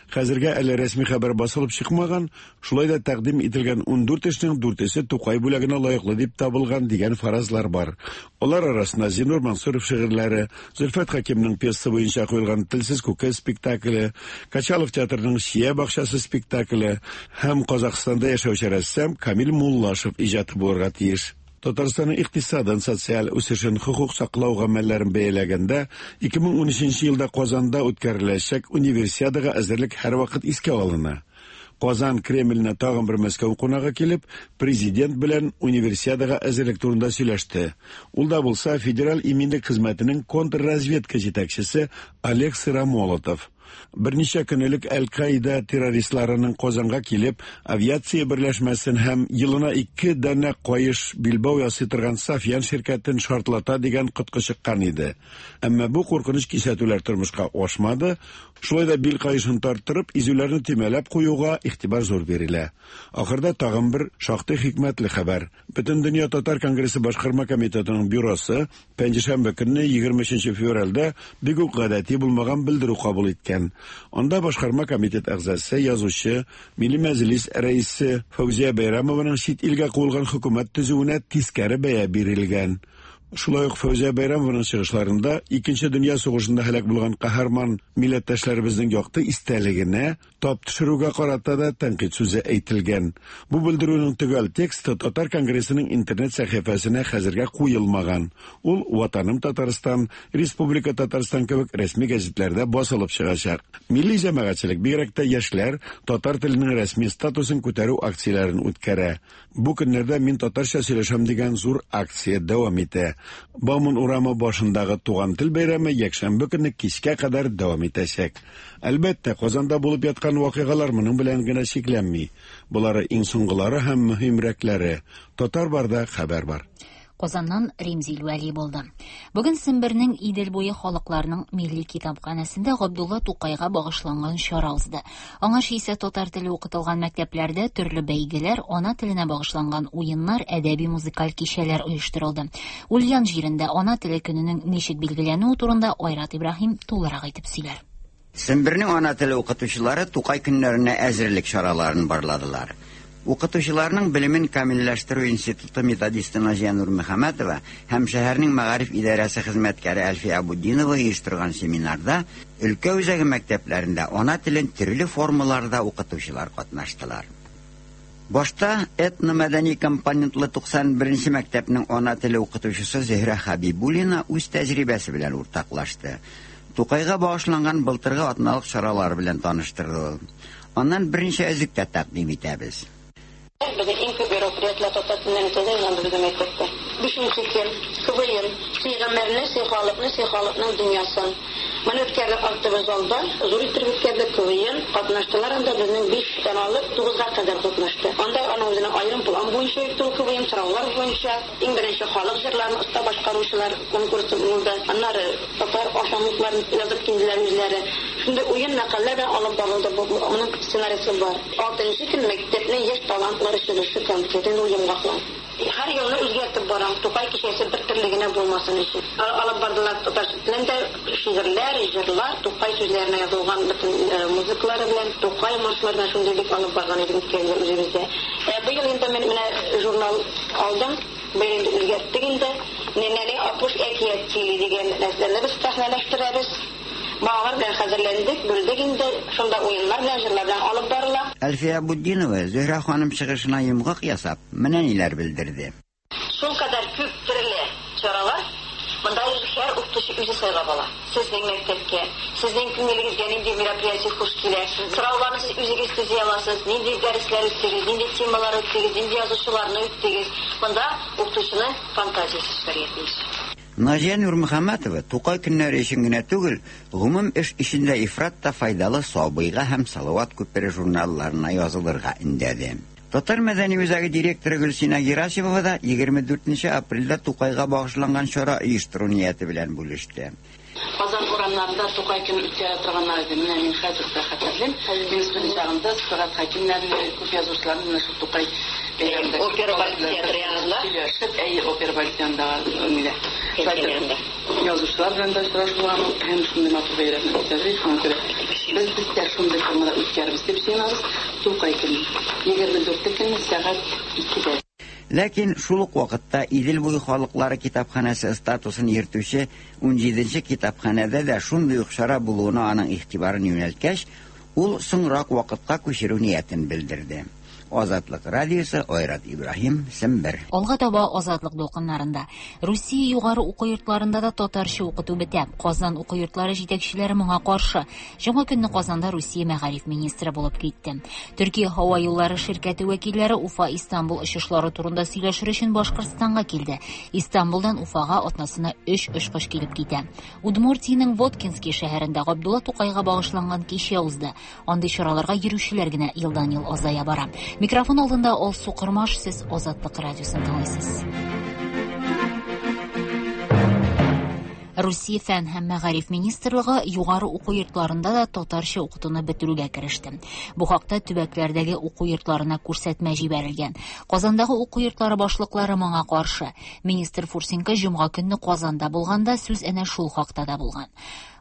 Хәзергә әле рәсми хәбәр басылып чыкмаган, шулай да тәкъдим ителгән 14 эшнең дүртесе Тукай бүләгенә лаеклы дип табылган дигән фаразлар бар. Алар арасында Зиннур Мансуров шигырьләре, Зөлфәт Хәкимнең пьеса буенча куелган Телсез күке спектакле, Качалов театрының Чия бакчасы спектакле һәм Казахстанда яшәүче рәссам Камил Муллашев иҗаты булырга тиеш. Татарстанның икътисадын, социаль үсешен, хокук саклау гамәлләрен бәяләгәндә, 2013 елда Казанда үткәреләчәк Универсиадага әзерлек һәрвакыт искә алына. Казан Кремленә тагын бер Мәскәү кунагы килеп, президент белән Универсиадага әзерлек турында сөйләште. Ул да булса Федераль иминлек хезмәтенең контрразведка җитәкчесе Олег Сыромолотов. Берничә көн элек Әл-Каида террористларының Казанга килеп, авиация берләшмәсен һәм елына ике данә каеш билбау ясый торган Сафьян ширкәтен шартлата дигән коткы чыккан иде. Әмма бу куркыныч кисәтүләр тормышка ашмады. Шулай да бил каешын тарттырып, изүләрне төймәләп куюга игътибар зур бирелә. Ахырда тагын бер шактый хикмәтле хәбәр. Бөтендөнья татар конгрессы башкарма комитетының бюросы Пәнҗешәмбе көнне, 23 февральдә, бик үк гадәти булмаган белдерү кабул иткән. Анда башкарма комитет әгъзасы, язучы, Милли Мәҗлис рәисе Фәүзия Бәйрәмованың чит илгә куылган хөкүмәт төзүенә тискәре бәя бирелгән. Шулай ук Фәүзия Бәйрәмованың чыгышларында Икенче дөнья сугышында һәлак булган каһарман милләттәшләребезнең якты истәлегенә Тап төшерүгә карата да тәнкыйть сүзе әйтелгән. Бу белдерүнең төгәл тексты Татар конгрессының интернет сәхифәсенә хәзергә куелмаган. Ул Ватаным Татарстан, Республика Татарстан кебек рәсми гәзитләрдә басылып чыгачак. Милли җәмәгатьчелек, бигрәк тә яшьләр, татар теленең рәсми статусын күтәрү акцияләрен үткәрә. Бу көннәрдә Мин татарча сөйләшәм дигән зур акция дәвам итә. Бауман урамы башындагы Туган тел бәйрәме якшәмбе көнне кичкә кадәр дәвам итәчәк. Әлбәттә, Казанда булып яткан вакыйгалар моның белән генә чикләнми. Болары иң соңгылары һәм мөһимрәкләре. Татар барда хәбәр бар. Казаннан Римзил Вәли булды. Бүген Сембернең Идел буе халыкларының милли китапханәсендә Габдулла Тукайга багышланган чара узды. Аңарчы исә татар теле укытылган мәктәпләрдә төрле бәйгеләр, ана теленә багышланган уеннар, әдәби-музыкаль кичәләр оештырылды. Ульян җирендә ана теле көненең ничек билгеләнүе турында Айрат Ибраһим тулырак итеп сөйләр. Сембернең ана теле укытучылары Тукай көннәренә әзерлек чараларын барладылар. Укытучыларның белемен камилләштерү институты методисты Наҗия Нурмөхәммәтова һәм шәһәрнең мәгариф идарәсе хезмәткәре Әлфия Абутдинова оештырган семинарда өлкә үзәге мәктәпләрендә ана телен төрле формаларда укытучылар катнаштылар. Башта этномәдәни компонентлы 91 нче мәктәпнең ана теле укытучысы Зөһрә Хәбибуллина үз тәҗрибәсе белән уртаклашты. Тукайга багышланган былтыргы атналык чаралары белән таныштырды ул. Аннан берничә өзек тә тәкъдим итәбез. Безнең иң күп мероприятиеләр татар теленнән үтә дә инде безнең мәктәптә. Бишенче көн, КВН, Сөй гомерне, сөй халыкны, сөй халыкның дөньясын. Моны үткәрдек актовый залда, зур иттереп үткәрдек, КВН, катнаштылар анда безнең биштән алып тугызга кадәр катнашты. Анда аның үзенең аерым план буенча үтте ул КВН, сораулар буенча. Иң беренче халык җырларын оста башкаручылар конкурсы булды. Аннары татар ашамлыкларын язып килделәр үзләре. Шундый уен мәкальләр белән алып барылды бу, моның сценарийсы бар. Алтынчы көн мәктәпнең яшь талантлары чыгышы концерт, инде ул йомгаклау. Һәр елны үзгәртеп барам, Тукай кичәсе бер төрле генә булмасын өчен. Алып бардылар татар телендә шигырьләр, җырлар, Тукай сүзләренә язылган бөтен музыкалары белән, Тукай маршлары белән шундый бик алып барган идек үткән ел үзебездә. Ә быел инде мин менә журнал алдым, быел инде үзгәрттек инде. Нәнәли Апуш әкият сөйли дигән нәрсәне без сәхнәләштерәбез. Балалар белән хәзерләндек, бүлдек инде. Шунда уеннар белән, җырлар белән алып барыла. Әлфия Абутдинова, Зөһрә ханым чыгышына йомгак ясап, менә ниләр белдерде. Шулкадәр күп төрле чаралар, монда һәр укытучы үзе сайлап ала. Сезнең мәктәпкә, сезнең күңелегезгә нинди мероприятие хуш килә, сорауларны сез үзегез төзи аласыз, нинди дәресләр үттегез, нинди темалар үттегез, нинди язучыларны үттегез. Монда укытучының фантазиясе эшләргә тиеш. Наҗия Нурмөхәммәтова Тукай көннәре өчен генә түгел, гомум эш өчен дә ифрат та файдалы Сабыйга һәм Салават күпере журналларына язылырга өндәде. Татар мәдәни үзәге директоры Гөлсинә Герасимова да 24 нче апрельдә Тукайга багышланган чара оештыру нияте белән бүлеште. Казан урамнарында Тукай көне үткәрә торганнар иде. Менә мин хәзер дә хәтерлим. Мин студент чагымда Сәгать Хәкимнәрне, күп язучыларны менә шул Тукай Бәйрәмдә. Опера балет театры янында. Сөйләшеп, әйе, опера балет янындагы нидә. Шулай язучылар белән дә очрашу булган һәм шундый матур бәйрәмне үткәрдек. Шуңа күрә без без дә шундый формада үткәрбез дип җыенабыз. Тукай көне. 24 көнне сәгать 2дә. Ләкин шул ук вакытта Идел буе халыклары китапханәсе статусын йөртүче 17нче китапханәдә дә шундый ук чара булуына аның игътибарын юнәлткәч, ул соңрак вакытка күчерү ниятен белдерде. Азатлык радиосы Айрат Ибраһим, Сембер. Алга таба Азатлык дулкыннарында. Русия югары уку йортларында да татарча укыту бетә. Казан уку йортлары җитәкчеләре моңа каршы. Җомга көнне Казанда Русия мәгариф министры булып китте. Төркия һава юллары ширкәте вәкилләре Уфа-Истанбул очышлары турында сөйләшер өчен Башкортстанга килде. Истанбулдан Уфага атнасына 3 очкыч килеп китә. Удмуртиянең Воткинский шәһәрендә Габдулла Тукайга багышланган кичә узды. Андый чараларга йөрүчеләр генә елдан-ел азая бара. Микрофон алдында Алсу Кормаш, сез Азатлык радиосын тыңлыйсыз. Русия фән һәм мәгариф министрлыгы югары уку йортларында да татарча укытуны бетерүгә кереште. Бу хакта төбәкләрдәге уку йортларына күрсәтмә җибәрелгән. Казандагы уку йортлары башлыклары моңа каршы. Министр Фурсенко җомга көнне Казанда булганда сүз әнә шул хакта да булган.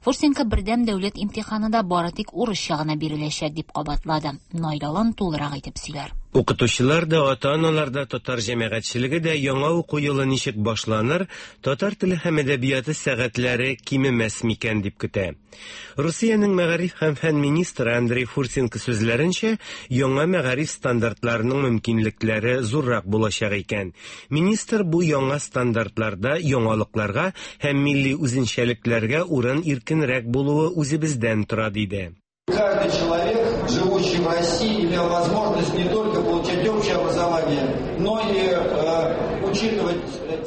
Фурсенко бердәм дәүләт имтиханы да бары тик урысча гына биреләчәк дип кабатлады. Наил Алан тулырак итеп сөйләр. Укытучылар да, ата-аналар да, татар җәмәгатьчелеге дә яңа уку елы ничек башланыр, татар теле һәм әдәбияты сәгатьләре кимемәс микән дип көтә. Русиянең мәгариф һәм фән министры Андрей Фурсенко сүзләренчә, яңа мәгариф стандартларының мөмкинлекләре зуррак булачак икән. Министр бу яңа стандартларда яңалыкларга һәм милли үзенчәлекләргә урын иркенрәк булуы үзебездән тора диде. Каждый человек, живущий в России, имел возможность не только получать общее образование, но и учитывать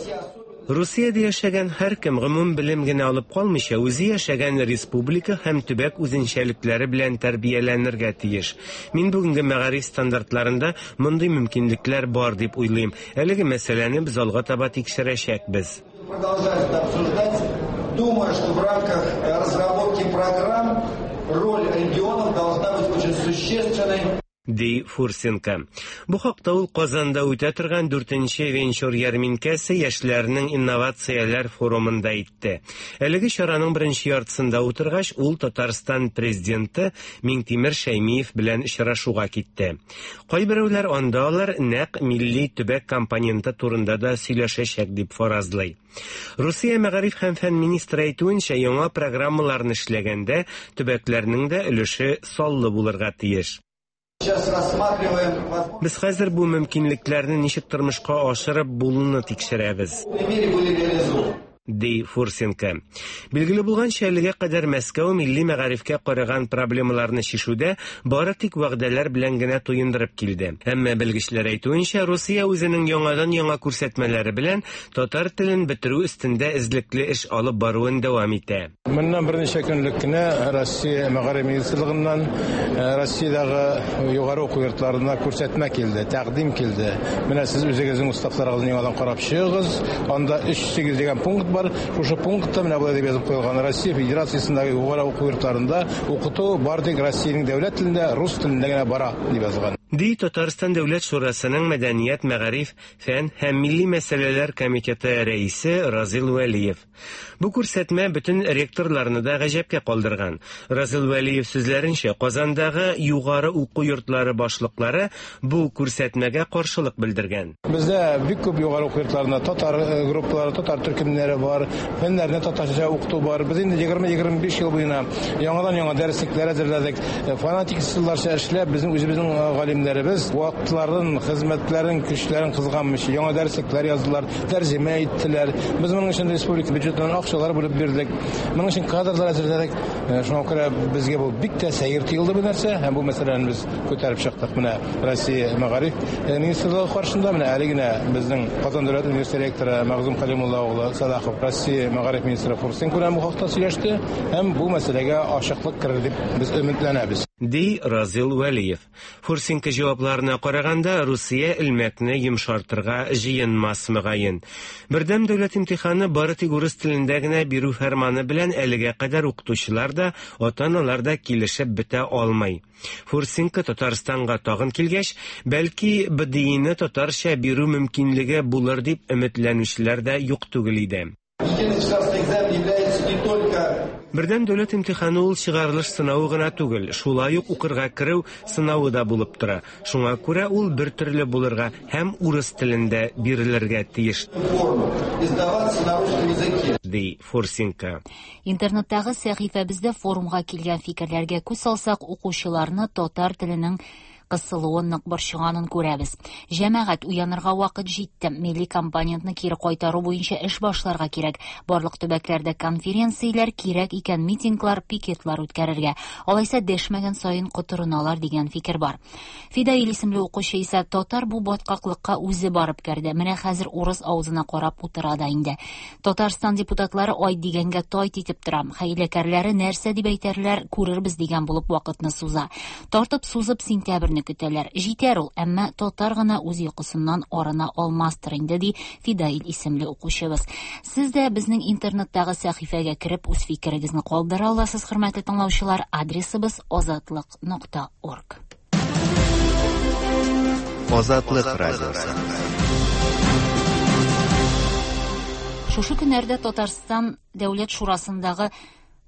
те особенности. Русиядә яшәгән һәркем гомум белем генә алып калмыйча, үзе яшәгән республика һәм төбәк үзенчәлекләре белән тәрбияләнергә тиеш. Мин бүгенге мәгариф стандартларында мондый мөмкинлекләр бар дип уйлыйм. Әлеге мәсьәләне без алга таба тикшерәчәкбез. Продолжать это обсуждать, думаю, что в рамках разработки программ роль регионов должна быть очень существенной. Ди Фурсенко. Бу хакта ул Казанда үтә торган 4нче венчур ярминкәсе яшьләрнең инновацияләр форумында әйтте. Әлеге чараның беренче яртысында утыргач, ул Татарстан президенты Миңтимер Шәймиев белән очрашуга китте. Кайберәүләр анда алар нәкъ милли төбәк компоненты турында да сөйләшәчәк дип фаразлый. Русия мәгариф һәм фән министры әйтүенчә, яңа программаларны эшләгәндә төбәкләрнең дә өлеше саллы булырга тиеш. Сейчас рассматриваем Без хәзер бу мөмкинлекләрне ничек тормышка ашырып булуны тикшерәбез. Мере были реализованы. Ди Фурсенко. Билгеле булганча, әлегә кадәр Мәскәү милли мәгарифкә караган проблемаларны чишүдә бары тик вәгъдәләр белән генә туендырып килде. Әмма белгечләр әйтүенчә, Русия үзенең яңадан-яңа күрсәтмәләре белән татар телен бетерү өстендә эзлекле эш алып баруын дәвам итә. Моннан берничә көнлек кенә Россия мәгариф министрлыгыннан Россиядәге югары уку йортларына күрсәтмә килде, тәкъдим килде. Менә сез үзегезнең уставларыгызны яңадан карап чыгыгыз. Анда 3.8 дигән пункт бар. Шушы пунктта менә болай дип язып куелган: Россия Федерациясендәге югары уку йортларында укыту бары тик Россиянең дәүләт телендә, рус телендә генә бара дип язылган. Ди Татарстан Дәүләт Шурасының Мәдәният, мәгариф, фән һәм милли мәсьәләләр комитеты рәисе Разил Вәлиев. Бу күрсәтмә бөтен ректорларны да гаҗәпкә калдырган. Разил Вәлиев сүзләренчә, Казандагы югары уку йортлары башлыклары бу күрсәтмәгә каршылык белдергән. Бездә бик күп югары уку йортларында татар группалары, татар төркемнәре бар, фәннәрне татарча укыту бар. Без инде 20-25 ел буена яңадан-яңа дәреслекләр әзерләдек. Фанатик ысулларча эшләп, безнең үзебезнең галимнәребез вакытларын, хезмәтләрен, көчләрен кызганмыйча яңа дәреслекләр яздылар, тәрҗемә иттеләр. Без моның өчен республика бюджетыннан акчалар бүлеп бирдек. Моның өчен кадрлар әзерләдек. Шуңа күрә безгә бу бик тә сәер тоелды бу нәрсә, һәм бу мәсьәләне без күтәреп чыктык. Менә Россия мәгариф министрлыгы каршында менә әле генә безнең Казан дәүләт университеты ректоры Мәгъзум Калимулла улы Салахов Россия мәгариф министры Фурсенко белән бу хакта сөйләште һәм бу мәсьәләгә ачыклык керер дип без өметләнәбез. Ди Разил Вәлиев. Фурсенко җавапларына караганда, Русия элмәкне йомшартырга җыенмас, мөгаен. Бердәм дәүләт имтиханы бары тик урыс телендә генә бирү фәрманы белән әлегә кадәр укытучылар да, ата-аналар да килешеп бетә алмый. Фурсенко Татарстанга тагын килгәч, бәлки БДИны татарча бирү мөмкинлеге булыр дип өметләнүчеләр дә юк түгел иде. Единый государственный экзамен является не только Бердәм дәүләт имтиханы ул чыгарылыш сынавы гына түгел, шулай ук укырга керү сынавы да булып тора. Шуңа күрә ул бер төрле булырга һәм урыс телендә бирелергә тиеш, издаваться на русском языке. ди Фурсенко. Интернеттагы сәхифәбездә форумга килгән фикерләргә күз салсак, укучыларны татар теленең кысылуы нык борчыганын күрәбез. Җәмәгать, уянырга вакыт җитте. Милли компонентны кире кайтару буенча эш башларга кирәк. Барлык төбәкләрдә конференцияләр, кирәк икән митинглар, пикетлар үткәрергә. Алайса дәшмәгән саен котырыналар дигән фикер бар. Фидаил исемле укучы исә татар бу баткаклыкка үзе барып керде. Менә хәзер урыс авызына карап утыра да инде. Татарстан депутатлары ай дигәнгә тайт итеп тора. Хәйләкәрләре нәрсә дип әйтәрләр, күрербез дигән булып вакытны суза. Тартып сузып сентябрьне көтәләр. Җитәр ул, әмма татар гына үз йокысыннан арына алмастыр инде, ди Фидаил исемле укучыбыз. Сез дә безнең интернеттагы сәхифәгә кереп үз фикерегезне калдыра аласыз, хөрмәтле тыңлаучылар. Адресыбыз азатлык.орг. Азатлык радиосы. Шушы көннәрдә Татарстан Дәүләт Шурасындагы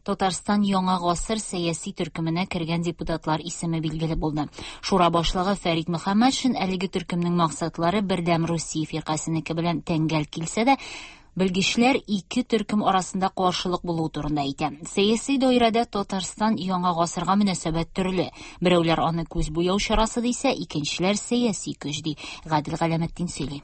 Татарстан Яңа гасыр сәяси төркеменә кергән депутатлар исеме билгеле булды. Шура башлыгы Фәрит Мөхәммәтшин әлеге төркемнең максатлары Бердәм Русия фиркасенеке белән тәңгәл килсә дә, белгечләр ике төркем арасында каршылык булуы турында әйтә. Сәяси даирәдә Татарстан Яңа гасырга мөнәсәбәт төрле. Берәүләр аны күз буяу чарасы дисә, икенчеләр сәяси көч ди. Гадел Галәметдин сөйли.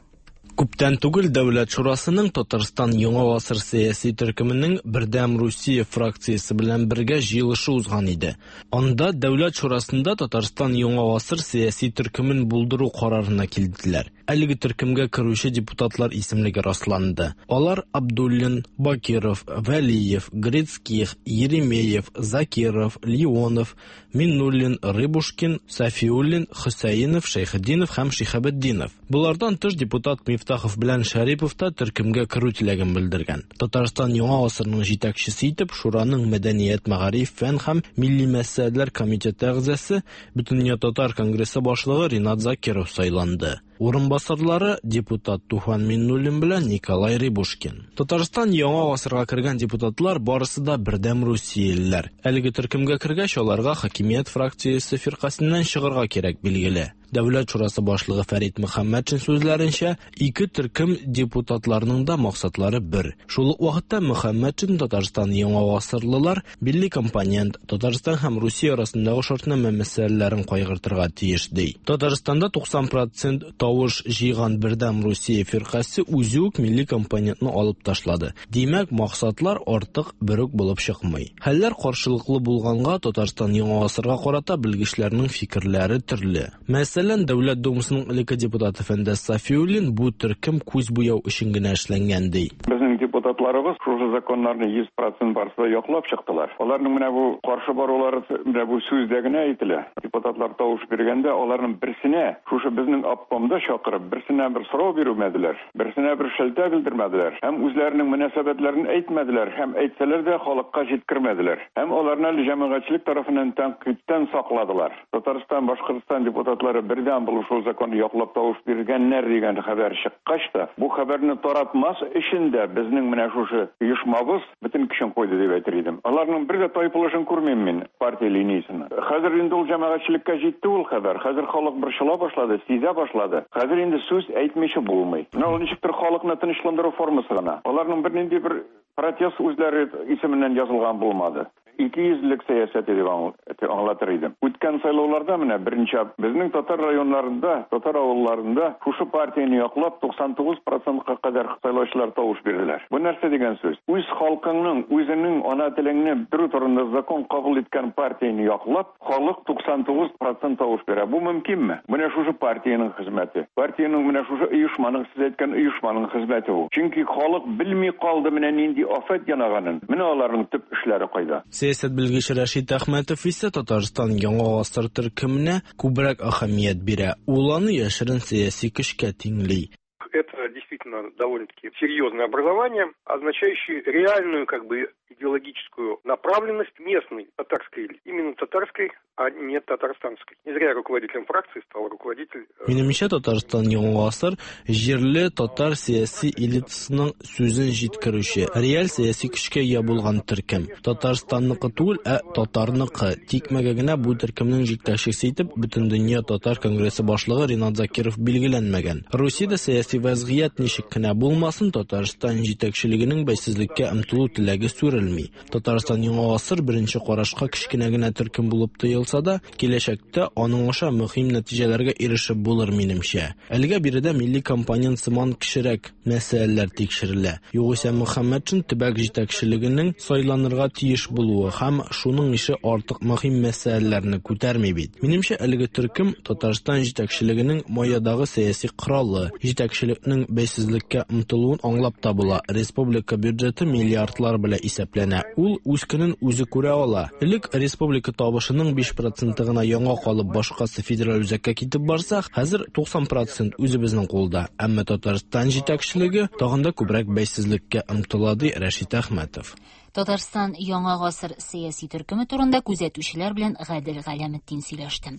Күптән түгел Дәүләт Шурасының Татарстан Яңа гасыр сәяси төркеменең Бердәм Русия фракциясе белән бергә җыелышы узган иде. Анда Дәүләт Шурасында Татарстан Яңа гасыр сәяси төркемен булдыру карарына килделәр. Әлеге төркемгә керүче депутатлар исемлеге расланды. Алар Абдуллин, Бакиров, Вәлиев, Грицких, Еремеев, Закиров, Леонов, Миннуллин, Рыбушкин, Сафиуллин, Хөсәенов, Шәйхетдинов һәм Шиһабетдинов. Болардан тыш депутат Мифтахов белән Шәрипов та төркемгә керү теләген белдергән. Татарстан Яңа гасырның җитәкчесе итеп Шураның мәдәният, мәгариф, фән һәм милли мәсьәләләр комитеты әгъзасы, Бөтендөнья татар конгрессы башлыгы Ринат Закиров сайланды. Урынбасарлары депутат Туфан Миннуллин белән Николай Рыбушкин. Татарстан Яңа гасырга кергән депутатлар барысы да бердәм русиялеләр. Әлеге төркемгә кергәч, аларга хакимият фракциясе фиркасеннән чыгарга кирәк, билгеле. Дәүләт шурасы башлыгы Фәрит Мөхәммәтшин сүзләренчә, ике төркем депутатларның да максатлары бер. Шул ук вакытта Мөхәммәтшин Татарстан Яңа гасырлылар милли компонент, Татарстан һәм Русия арасындагы шартнамә мәсьәләләрен кайгыртырга тиеш, ди. Татарстанда 90% тавыш җыйган Бердәм Русия фиркасе үзе үк милли компонентны алып ташлады. Димәк, максатлар артык бер үк булып чыкмый. Хәлләр каршылыклы булганга Татарстан Яңа гасырга карата белгечләрнең фикерләре төрле. Мәсәлән, Дәүләт Думасының элекке депутаты Фәндәс Сафиуллин бу төркем күз буяу өчен генә эшләнгән ди. Безнең депутатларыбыз шушы законнарны 100% барысы да яклап чыктылар. Аларның менә бу каршы барулары менә бу сүздә генә әйтелә. Депутатлар тавыш биргәндә аларның берсенә шушы безнең обкомда чакырып, берсенә бер сорау бирүмәделәр, берсенә бер шелтә белдермәделәр һәм үзләренең мөнәсәбәтләрен әйтмәделәр һәм әйтсәләр дә халыкка җиткермәделәр. Һәм аларны әле җәмәгатьчелек тарафыннан тәнкыйтьтән сакладылар. Татарстан, Башкортстан депутатлары бердәм булып шул законны яклап тавыш биргәннәр дигән хәбәр чыккач та, бу хәбәрне таратмас өчен дә безнең менә шушы оешмабыз бөтен көчен куйды дип әйтер идем. Аларның бер дә тайпылышын күрмим мин партия линиясеннән. Хәзер инде ул җәмәгатьчелеккә җитте ул хәбәр. Хәзер халык борчыла башлады, сизә башлады. Хәзер инде сүз әйтмичә булмый. Менә ул ничектер халыкны тынычландыру формасы гына. Аларның бернинди бер протест үзләре исеменнән язылган булмады. Икейөзлелек сәясәте дип аңлатыр идем. Үткән сайлауларда менә берничә безнең татар районнарында, татар авылларында шушы партияне яклап 99 процентка кадәр сайлаучылар тавыш бирделәр. Бу нәрсә дигән сүз? Үз халкыңның, үзеңнең ана телеңне бетерү турында закон кабул иткән партияне яклап, Халык 99 процент тавыш бирә. Бу мөмкинме? Менә шушы партиянең хезмәте. Партиянең менә шушы оешманың, сез әйткән оешманың хезмәте бу. Чөнки халык белми калды менә нинди афәт янаганын. Менә аларның төп эшләре кайда. Сәясәт белгече Рәшит Әхмәтов исә Татарстан Яңа гасыр төркеменә күбрәк әһәмият бирә. Ул аны яшерен сәяси көчкә тиңли. Это действительно довольно-таки серьезное образование, означающее реальную как бы идеологическую направленность местной татарской элиты. Именно татарской, а не татарстанской. Не зря руководителем фракции стал руководитель... Минемчә, Татарстан Яңа гасыр җирле татар сәяси элитасының сүзен җиткерүче, реаль сәяси көчкә ия булган төркем. Татарстанныкы түгел, ә татарныкы. Тикмәгә генә бу төркемнең җитәкчесе итеп Бөтендөнья татар конгрессы башлыгы Ринат Закиров билгеләнмәгән. Русиядә сәяси вәзгыять ничек кенә булмасын, Татарстан җитәкчелегенең бәйсезлеккә омтылу теләге сүрелми. Татарстан Яңа гасыр беренче карашка кечкенә генә төркем булып тоелса да, киләчәктә аның аша мөһим нәтиҗәләргә ирешеп булыр, минемчә. Әлегә биредә милли компонент сыман кечерәк мәсьәләләр тикшерелә. Югыйсә Мөхәммәтшин төбәк җитәкчелегенең сайланырга тиеш булуы һәм шуның ише артык мөһим мәсьәләләрне күтәрми бит. Минемчә, әлеге төркем Татарстан җитәкчелегенең маядагы сәяси коралы. Җитәкчелекнең бәйсезлеккә омтылуын аңлап та була. Республика бюджеты миллиардлар белән исәпләнә. Ул үз көнен үзе күрә ала. Элек республика табышының 5 проценты гына яңа калып, башкасы федераль үзәккә китеп барса, хәзер 90 процент үзебезнең кулда. Әмма Татарстан җитәкчелеге тагын да күбрәк бәйсезлеккә омтыла, ди Рәшит Әхмәтов. Татарстан Яңа гасыр сәяси төркеме турында күзәтүчеләр белән Гадел Галәметдин сөйләште.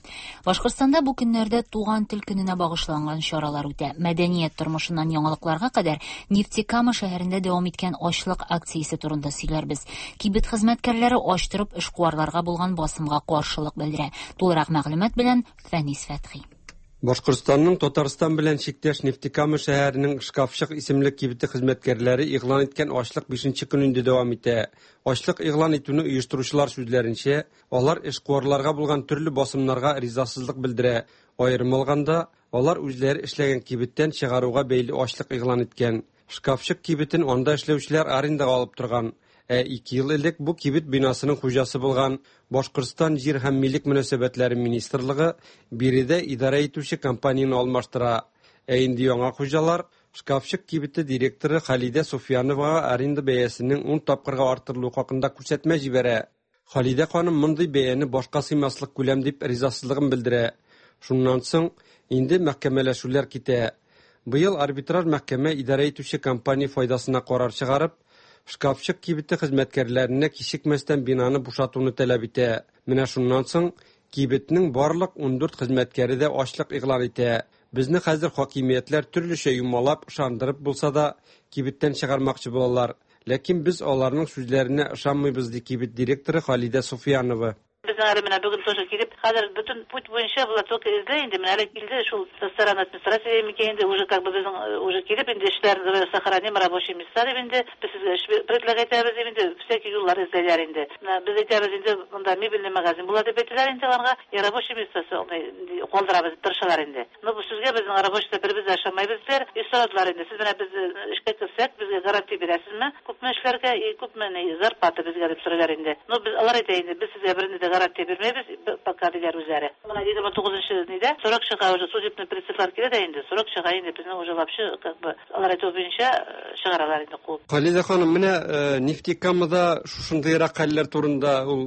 Башкортстанда бу көннәрдә Туган тел көненә багышланган чаралар үтә. Мәдәният тормышыннан яңалыкларга кадәр Нефтекама шәһәрендә дәвам иткән ачлык акциясе турында сөйләрбез. Кибет хезмәткәрләре ач торып эшкуарларга булган басымга каршылык белдерә. Тулырак мәгълүмат белән Фәнис Фәтхи. Башкортстанның Татарстан белән чиктәш Нефтекама шәһәренең Шкафчык исемле кибете хезмәткәрләре игълан иткән ачлык бишенче көн инде дәвам итә. Ачлык игълан итүне оештыручылар сүзләренчә, алар эшкуарларга булган төрле басымнарга ризасызлык белдерә. Аерым алганда, алар үзләре эшләгән кибеттән чыгаруга бәйле ачлык игълан иткән. Шкафчык кибетен анда эшләүчеләр арендага алып торган. Ә ике ел элек бу кибет бинасының хуҗасы булган Башкортстан җир һәм милек мөнәсәбәтләре министрлыгы биредә идарә итүче компанияне алмаштыра. Ә инде яңа хуҗалар Шкафчык кибете директоры Халидә Суфияновага аренда бәясенең ун тапкырга арттырылуы хакында күрсәтмә җибәрә. Халидә ханым мондый бәяне башка сыймаслык күләм дип ризасызлыгын белдерә. Шуннан соң инде мәхкәмәләшүләр китә. Быел арбитраж мәхкәмә идарә итүче компания файдасына карар чыгарып, Шкафчык кибете хезмәткәрләренә кичекмәстән бинаны бушатуны таләп итә. Менә шуннан соң кибетнең барлык 14 хезмәткәре дә ачлык игълан итә. Безне хәзер хакимиятләр төрлечә юмалап, ышандырып булса да, кибеттән чыгармакчы булалар. Ләкин без аларның сүзләренә ышанмыйбыз, ди кибет директоры Халидә Суфиянова. Безнең әле менә бүген тоже килеп, хәзер бөтен путь буенча болар только эзли инде, менә әле килде шул со стороны администрации микән инде, уже как бы безнең уже килеп инде эшләрне сохраним рабочие места дип инде, без сезгә эш предлагать итәбез дип инде, всякий юллар эзләйләр инде. Менә без әйтәбез инде, монда мебельный магазин була дип әйтәләр инде аларга, и рабочий места калдырабыз дип тырышалар инде. Ну, бу сүзгә безнең рабочийда беребез дә ышанмайбыз диләр. И сорадылар инде, сез менә без эшкә керсәк, безгә гарантия бирәсезме, күпме эшләргә и күпме ни зарплата безгә дип сорыйлар инде. Ну, без, алар әйтә инде, без сезгә бернинди дә гарантия бирмәйбез, пока диләр үзләре. Менә 29 нидә срок чыга уже, судебный приставлар килә дә инде, срок чыга инде, безне уже вообще, как бы, алар әйтүе буенча, чыгаралар инде куып. Халидә ханым, менә Нефтекамада шушындыйрак хәлләр турында ул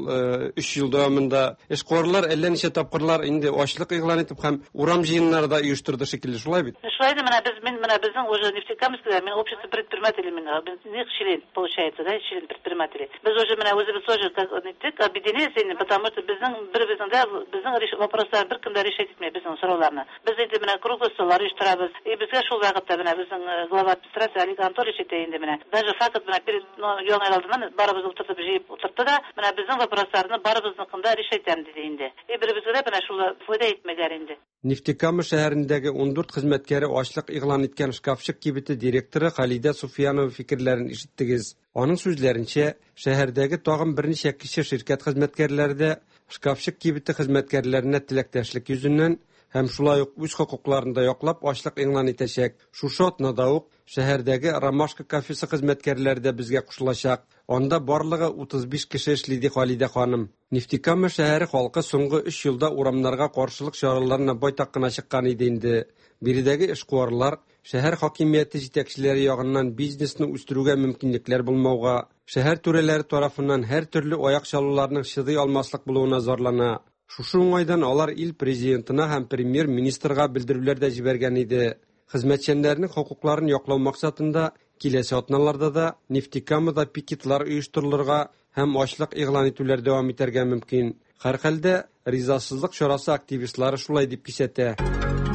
өч ел дәвамында эшкуарлар әллә ничә тапкырлар инде ачлык игълан итеп һәм урам җыеннары да оештырды шикелле, шулай бит? Шулай инде, менә без, мин менә безнең уже Нефтекамскида, мин общество предпринимателей, мин, них член, получается, да, член предпринимателей. Без уже менә үзебез тоже как ниттек, объединились инде, потому что безнең беребезнең дә, безнең вопрослар беркем дә решать итми безнең сорауларны. Без инде менә круглый столлар оештырабыз. И безгә шул вакытта менә безнең глава администрации Олег Анатольевич әйтә инде менә. Даже факт менә перед ну, яңа ел алдыннан барыбызны утыртып җыеп утыртты да, менә безнең вопросларны барыбызныкын да решать итәм диде инде. И беребезгә дә менә шул файда итмәделәр инде. Нефтекама шәһәрендәге 14 хезмәткәре ачлык игълан иткән шкафчык кибете директоры Халидә Суфиянова фикерләрен ишеттегез. Аның сүзләренчә, шәһәрдәге тагын берничә кече ширкәт хезмәткәрләре дә шкафчык кибете хезмәткәрләренә теләктәшлек йөзеннән һәм шулай ук үз хокукларын да яклап ачлык игълан итәчәк. Шушы атнада ук шәһәрдәге Ромашка кафесы хезмәткәрләре дә безгә кушылачак. Анда барлыгы 35 кеше эшли, ди Халидә ханым. Нефтекама шәһәре халкы соңгы өч елда урамнарга каршылык чараларына байтак кына чыккан иде инде. Биредәге эшкуарлар шәһәр хакимияте җитәкчеләре ягыннан бизнесны үстерүгә мөмкинлекләр булмауга, шәһәр түрәләре тарафыннан һәртөрле аяк чалуларның чыдый алмаслык булуына зарлана. Шушы уңайдан алар ил Президентына һәм Премьер-министрга белдерүләр дә җибәргән иде. Хезмәтчәннәрнең хокукларын яклау максатында киләсе атналарда да Нефтекамада пикетлар оештырылырга һәм ачлык игълан итүләр дәвам итәргә мөмкин. Һәрхәлдә, ризасызлык чарасы активистлары шулай дип кисәтә.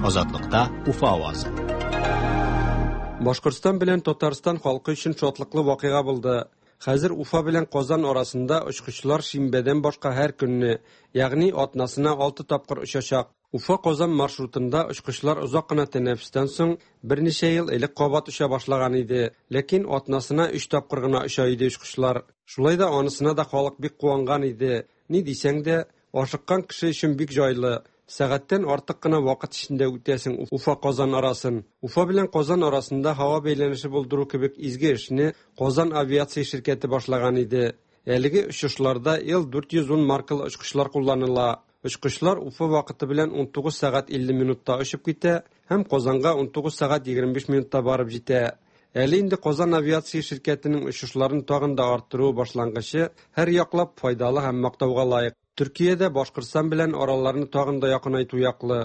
Азатлыкта Уфа авазы. Башкортстан белән Татарстан халкы өчен шатлыклы вакыйга булды. Хәзер Уфа белән Казан арасында очкычлар шимбәдән башка һәр көнне, ягъни атнасына алты тапкыр очачак. Уфа-Казан маршрутында очкычлар озак кына тәнәфестән соң берничә ел элек кабат оча башлаган иде. Ләкин атнасына өч тапкыр гына оча иде очкычлар. Шулай да анысына да халык бик куанган иде. Ни дисәң дә, ашыккан кеше өчен бик җайлы. Сәгатьтән артык кына вакыт эчендә үтәсең Уфа-Казан арасын. Уфа белән Казан арасында һава бәйләнеше булдыру кебек изге эшне Казан авиация ширкәте башлаган иде. Әлеге очышларда Ил-410 маркалы очкычлар кулланыла. Очкычлар Уфа вакыты белән 19 сәгать 50 минутта очып китә һәм Казанга 19 сәгать 25 минутта барып җитә. Әле инде Казан авиация ширкәтенең очышларын тагын да арттыруы башлангычы һәрьяклап файдалы һәм мактауга лаек. Төркия дә Башкортстан белән араларны тагын да якынайту яклы.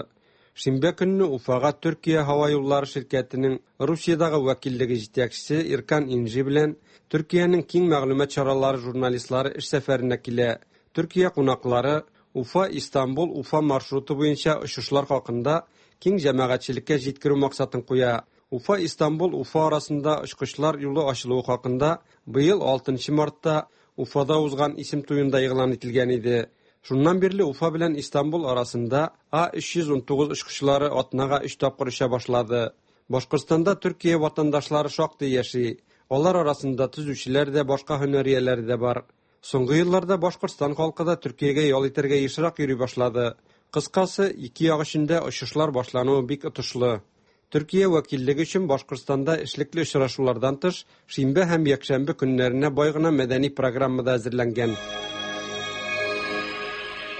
Шимбә көнне Уфага Төркия һава юллары ширкәтенең Русиядәге вәкиллеге җитәкчесе Иркан Инжи белән Төркиянең киң мәгълүмат чаралары журналистлары эш сәфәренә килә. Төркия кунаклары Уфа, Истанбул, Уфа маршруты буенча очышлар хакында киң җәмәгатьчелеккә җиткерү максатын куя. Уфа, Истанбул, Уфа арасында очкычлар юлы ачылуы хакында быел 6 мартта Уфада узган исем туенда игълан ителгән иде. Шуннан бирле Уфа белән Истанбул арасында А319 очкычлары атнага өч тапкыр оча башлады. Башкортстанда Төркия ватандашлары шактый яши. Алар арасында төзүчеләр дә, башка һөнәр ияләре дә бар. Соңгы елларда Башкортстан халкы да Төркиягә ял итәргә ешрак йөри башлады. Кыскасы, ике як өчен дә очышлар башлануы бик отышлы. Төркия вәкиллеге өчен Башкортстанда эшлекле очрашулардан тыш, шимбә һәм якшәмбе көннәренә бай гына мәдәни программа да әзерләнгән.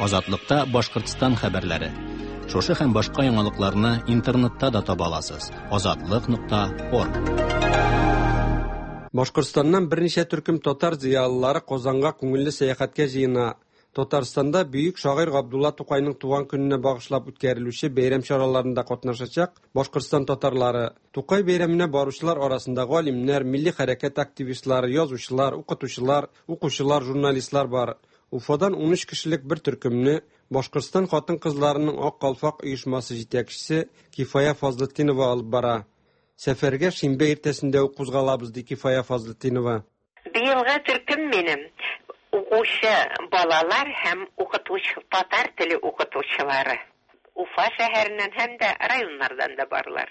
Азатлыкта Башкортстан хәбәрләре. Шушы һәм башка яңалыкларны интернетта да таба аласыз. Азатлык.орг. Башкортстаннан берничә төркем татар зыялылары Казанга күңелле сәяхәткә җыена. Татарстанда бөек шагыйрь Габдулла Тукайның туган көненә багышлап үткәрелүче бәйрәм чараларында катнашачак Башкортстан татарлары. Тукай бәйрәменә баручылар арасында галимнәр, милли хәрәкәт активистлары, язучылар, укытучылар, укучылар, журналистлар бар. Уфадан 13 кешелек бер төркемне Башкортстан хатын-кызларының Ак калфак оешмасы җитәкчесе Кифая Фазлытдинова алып бара. Сәфәргә шимбә иртәсендә үк кузгалабыз, ди Кифая Фазлытдинова. Быелгы төркем минем укучы балалар һәм укытучы, татар теле укытучылары. Уфа шәһәреннән һәм дә районнардан да барлар.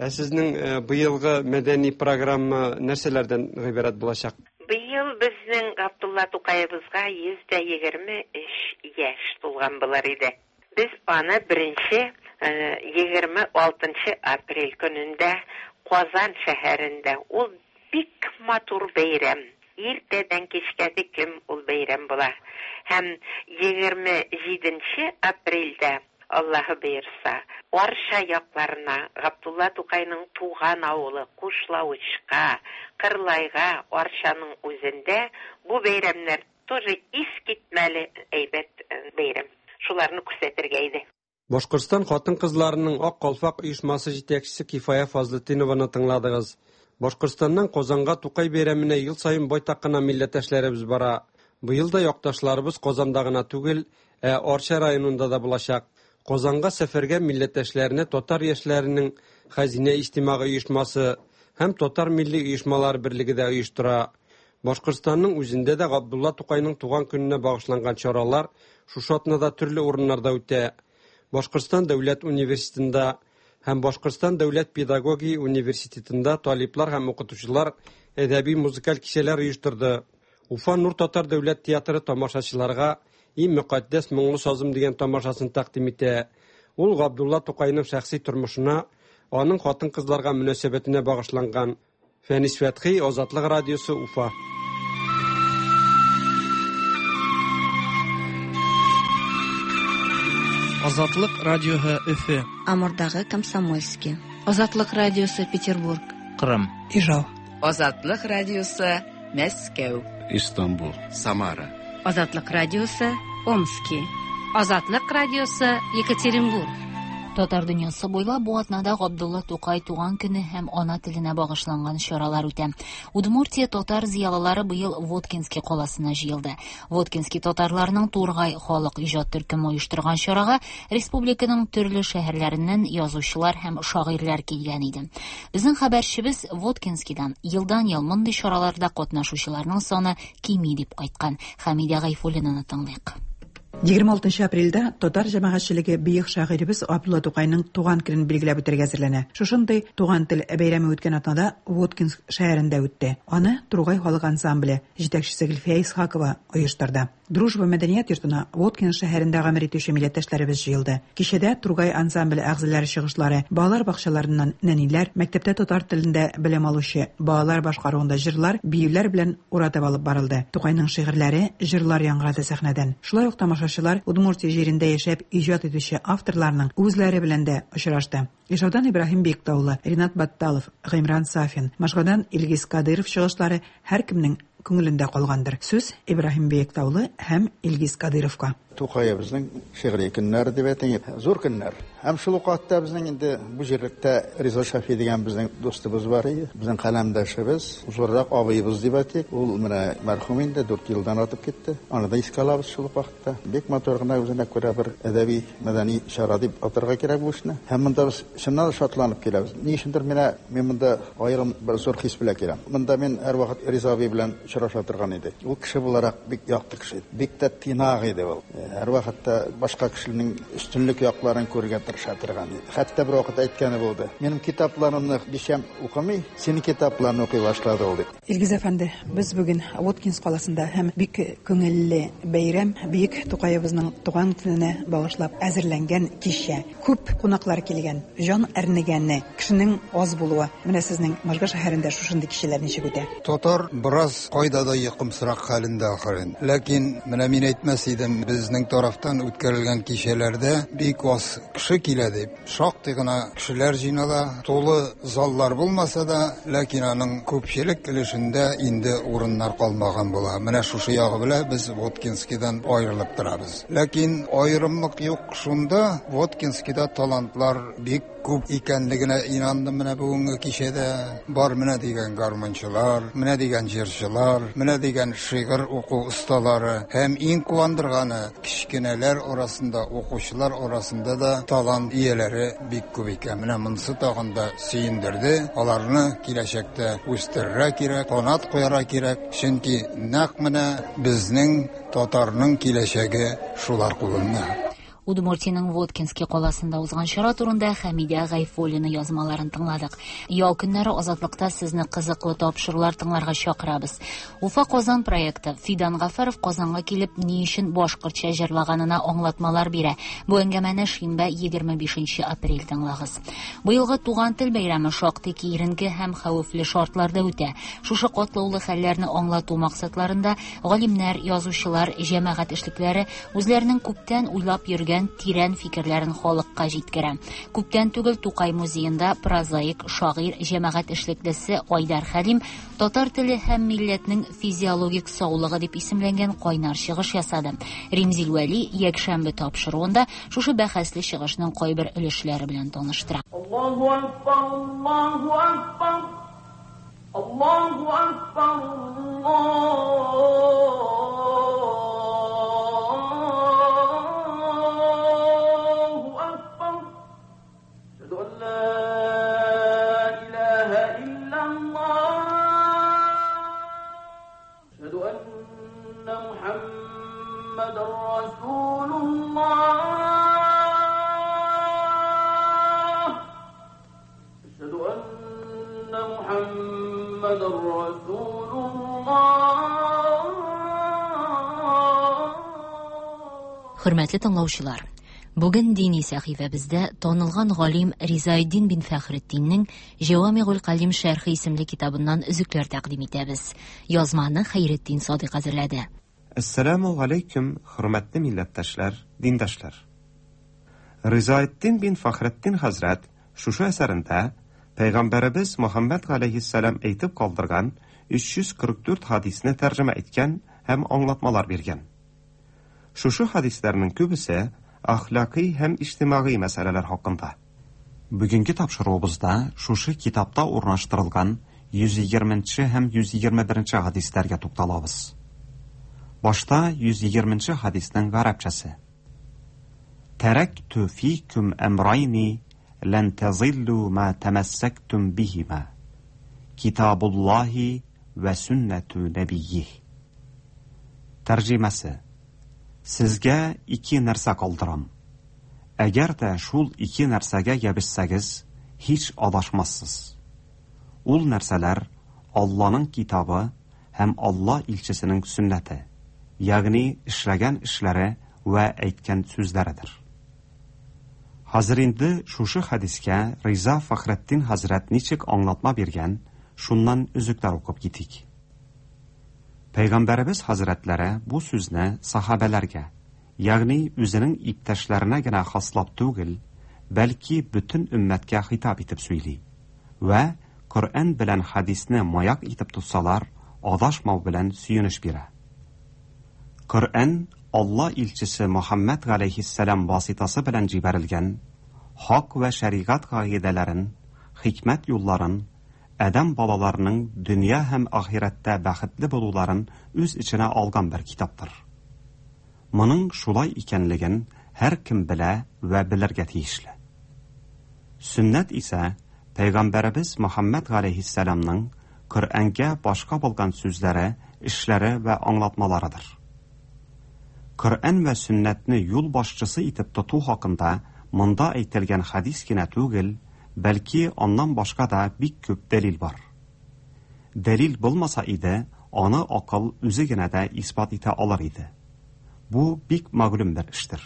Ә сезнең быелгы мәдәни программа нәрсәләрдән гыйбарәт булачак? Быел безнең Габдулла Тукаебызга 123 яшь тулган булыр иде. Без аны беренче 26 нчы апрель көнендә Казан шәһәрендә, ул бик матур бәйрәм, иртәдән кичкә тиклем ул бәйрәм була, һәм 27 нче апрельдә, Аллаһы боерса, Арча якларына, Габдулла Тукайның туган авылы Кушлавычка, Кырлайга, Арчаның үзендә бу бәйрәмнәр тоже искитмәле әйбәт бәйрәм. Шуларны күрсәтергә иде. Башкортстан хатын-кызларының Ак калфак оешмасы җитәкчесе Кифая Фазлетдинованы тыңладыгыз. Башкортстаннан Казанга Тукай бәйрәменә ел саен байтак кына милләттәшләребез бара. Быел да якташларыбыз Казанда гына түгел, ә Арча районында да булачак. Казанга сәфәргә милләттәшләрне татар яшьләренең Хәзинә иҗтимагый оешмасы һәм Татар милли оешмалары берлеге дә оештыра. Башкортстанның үзендә дә Габдулла Тукайның туган көненә багышланган чаралар шушы атнада төрле урыннарда үтә. Башкортстан дәүләт университетында һәм Башкортстан дәүләт педагогия университетында талиплар һәм укытучылар әдәби-музыкаль кичәләр оештырды. Уфа Нур татар дәүләт театры тамашачыларга И мөкатдәс моңлы сазым дигән тамашасын тәкъдим итә. Ул Габдулла Тукайның шәхси тормышына, аның хатын-кызларга мөнәсәбәтенә багышланган. Фәнис Фәтхи, Азатлык радиосы, Уфа. Азатлык радиоһы Өфе. Амурдагы Комсомольский. Азатлык радиосы Петербург. Кырым. Ижау. Азатлык радиосы Мәскәү. Истанбул. Самара. Азатлык радиосы Омски. Азатлык радиосы Екатеринбург. Татар дөньясы буйлап бу атнада Габдулла Тукай туган көне һәм ана теленә багышланган чаралар үтә. Удмуртия татар зыялылары быел Воткинский каласына җыелды. Воткинский татарларының Тургай халык иҗат төркеме оештырган чарага республиканың төрле шәһәрләреннән язучылар һәм шагыйрьләр килгән иде. Безнең хәбәрчебез Воткинскийдан елдан-ел мондый чараларда катнашучыларның саны кими дип кайткан. Хәмидә Гайфуллинаны тыңлыйк. 26 апрельдә татар җәмәгатьчелеге бөек шагыйребез Абдулла Тукайның туган көнен билгеләп үтәргә әзерләнә. Шушындый туган тел бәйрәме үткән атнада Воткинск шәһәрендә үтте. Аны Тургай халык ансамбле, җитәкчесе Гөлфия Исхакова, оештырды. Дружба мәдәният йортына Воткинск шәһәрендә гомер итүче милләттәшләребез җыелды. Кичәдә Тургай ансамбле әгъзалары чыгышлары, балалар бакчаларыннан нәниләр, мәктәптә татар телендә белем алучы балалар башкаруында җырлар, биюләр белән уратып алып барылды. Тукайның шигырьләре, җырлар яңгырады сәхнәдән. Шулай ук тамашачылар Удмуртия җирендә яшәп иҗат итүче авторларның үзләре белән дә очрашты. Ижаудан Ибраһим Биектаулы, Ринат Батталов, Гыймран Сафин, Можгадан Илгиз Кадыйров чыгышлары һәркемнең күңелендә калгандыр. Сүз Ибраһим Биектаулы һәм Илгиз Кадыйровка. Тукаебызның шигъри көннәре дип әйтик, зур көннәр. Һәм шул ук вакытта безнең инде бу җирлектә Риза Шафи дигән безнең дустыбыз бар иде. Безнең каләмдәшебез, зуррак абыебыз дип әйтик. Ул менә мәрхүм инде 4 елдан артып китте. Аны да искә алабыз шул ук вакытта. Бик матур гына үзенә күрә бер әдәби, мәдәни чара дип атарга кирәк бу эшне. Һәм монда без чыннан да шатланып киләбез. Ни өчендер менә мин монда аерым бер зур хис белән киләм. Монда мин һәрвакыт Риза абый белән очраша торган иде. Ул кеше буларак бик якты кеше иде. Бик тә тыйнак иде ул. Һәрвакытта башка кешенең өстенлек якларын күрергә тырыша торган иде. Хәтта бер вакыт әйткәне булды. Минем китапларымны бишәм укымый, синең китапларны укый башлады ул дип. Илгиз әфәнде, без бүген Воткинск каласында һәм бик күңелле бәйрәм, бөек Тукаебызның туган көненә багышлап әзерләнгән кичә. Күп кунаклар килгән, җан әрнегәне, кешенең аз булуы. Менә сезнең Можга шәһәрендә шушындый кичәләр ничек үтә? Татар бераз кайда да йокымсырак хәлендә ахырын. Ләкин менә мин әйтмәс идем, безнең тарафтан үткәрелгән кичәләрдә бик аз кеше килә дип. Шактый гына кешеләр җыйнала, тулы заллар булмаса да, ләкин аның күпчелек өлешендә инде урыннар калмаган була. Менә шушы ягы белән без Воткинскийдан аерылып торабыз. Ләкин аерымлык юк шунда, Воткинскийда талантлар бик күп икәнлегенә инандым менә бүгенге кичәдә. Бар менә дигән гармунчылар, менә дигән җырчылар, менә дигән шигырь уку осталары һәм иң куандырганы, кечкенәләр арасында, укучылар арасында да талант ияләре бик күп икән. Менә монысы тагын да сөендерде. Аларны киләчәктә үстерергә кирәк, канат куярга кирәк, чөнки нәкъ менә безнең татарның киләчәге шулар кулында. Удмуртиянең Воткинский каласында узган чара турында Хәмидә Гайфуллина язмаларын тыңладык. Ял көннәре Азатлыкта сезне кызыклы тапшырулар тыңларга чакырабыз. Уфа Казан проекты Фидан Гафаров Казанга килеп ни өчен башкортча җырлаганына аңлатмалар бирә. Бу әңгәмәне шимбә 25 апрель тыңлагыз. Быелгы туган тел бәйрәме шактый киеренке һәм хәвефле шартларда үтә. Шушы катлаулы хәлләрне аңлату максатларында галимнәр, язучылар, җәмәгать эшлекләре үзләренең күптән уйлап йөргән тирән фикерләрен халыкка җиткерә. Күптән түгел Тукай музеенда прозаик, шагыйрь, җәмәгать эшлеклесе Айдар Хәлим татар теле һәм милләтнең физиологик саулыгы дип исемләнгән кайнар чыгыш ясады. Римзил Вәли якшәмбе тапшыруында шушы бәхәсле чыгышның кайбер өлешләре белән таныштыра. Аллаһу акбар, Аллаһу акбар. Аллаһу акбар, Аллаһу акбар. Әшһәду ан ла илаһа иллаллаһ. Әшһәду анна Мухаммадан расулуллаһ. Әшһәду анна Мухаммадан расулуллаһ. Хөрмәтле тыңлаучылар, бүген дини сәхифәбездә танылган галим Ризаэддин бин Фәхретдиннең Җәвамигуль Калим шәрхе исемле китабыннан өзекләр тәкъдим итәбез. Язманы Хәйретдин Садыйк әзерләде. Әссәламү галәйкүм, хөрмәтле милләттәшләр, диндәшләр. Ризаэддин бин Фәхретдин хәзрәт шушы әсәрендә Пәйгамбәребез Мөхәммәд галәйһиссәлам әйтеп калдырган 344 хадисне тәрҗемә иткән һәм аңлатмалар биргән. Шушы хадисләрнең күбесе әхлакый һәм иҗтимагый мәсьәләләр хакында. Бүгенге тапшыруыбызда шушы китапта урнаштырылган 120 нче һәм 121 нче хадисләргә тукталабыз. Башта 120 нче хадиснең гарәпчәсе. Тәрәктү фикүм әмрайни лән тәзиллү ма тәмәссәктүм биһима. Китабуллаһи вә сөннәтү нәбиййиһ. Тәрҗемәсе. Сезгә ике нәрсә калдырам. Әгәр дә шул ике нәрсәгә ябешсәгез, һич адашмассыз. Ул нәрсәләр Алланың китабы һәм Алла илчесенең сөннәте, ягъни эшләгән эшләре вә әйткән сүзләредер. Хәзер инде шушы хәдискә Риза Фәхретдин хәзрәт ничек аңлатма биргән, шуннан өзекләр укып китик. Пәйгамбәребез хәзрәтләре бу сүзне сахабәләргә, ягъни үзенең иптәшләренә генә хаслап түгел, бәлки бөтен өммәткә хитап итеп сөйли. Вә Коръән белән хәдисне маяк итеп тотсалар, адашмау белән сөенеч бирә. Коръән Алла илчесе Мөхәммәд галәйһиссәлам васитасы белән җибәрелгән, хак вә шәригать кагыйдәләрен, хикмәт юлларын, адәм балаларының дөнья һәм ахирәттә бәхетле булуларын үз эченә алган бер китаптыр. Моның шулай икәнлеген һәркем белә вә белергә тиешле. Сөннәт исә Пәйгамбәребез Мөхәммәд галәйһиссәламның Коръәнгә башка булган сүзләре, эшләре вә аңлатмаларыдыр. Коръән вә сөннәтне юл башчысы итеп тоту хакында монда әйтелгән хәдис кенә түгел, бәлки аннан башка да бик күп дәлил бар. Дәлил булмаса иде, аны акыл үзе генә дә исбат итә алыр иде. Бу бик мәгълүм бер эштер.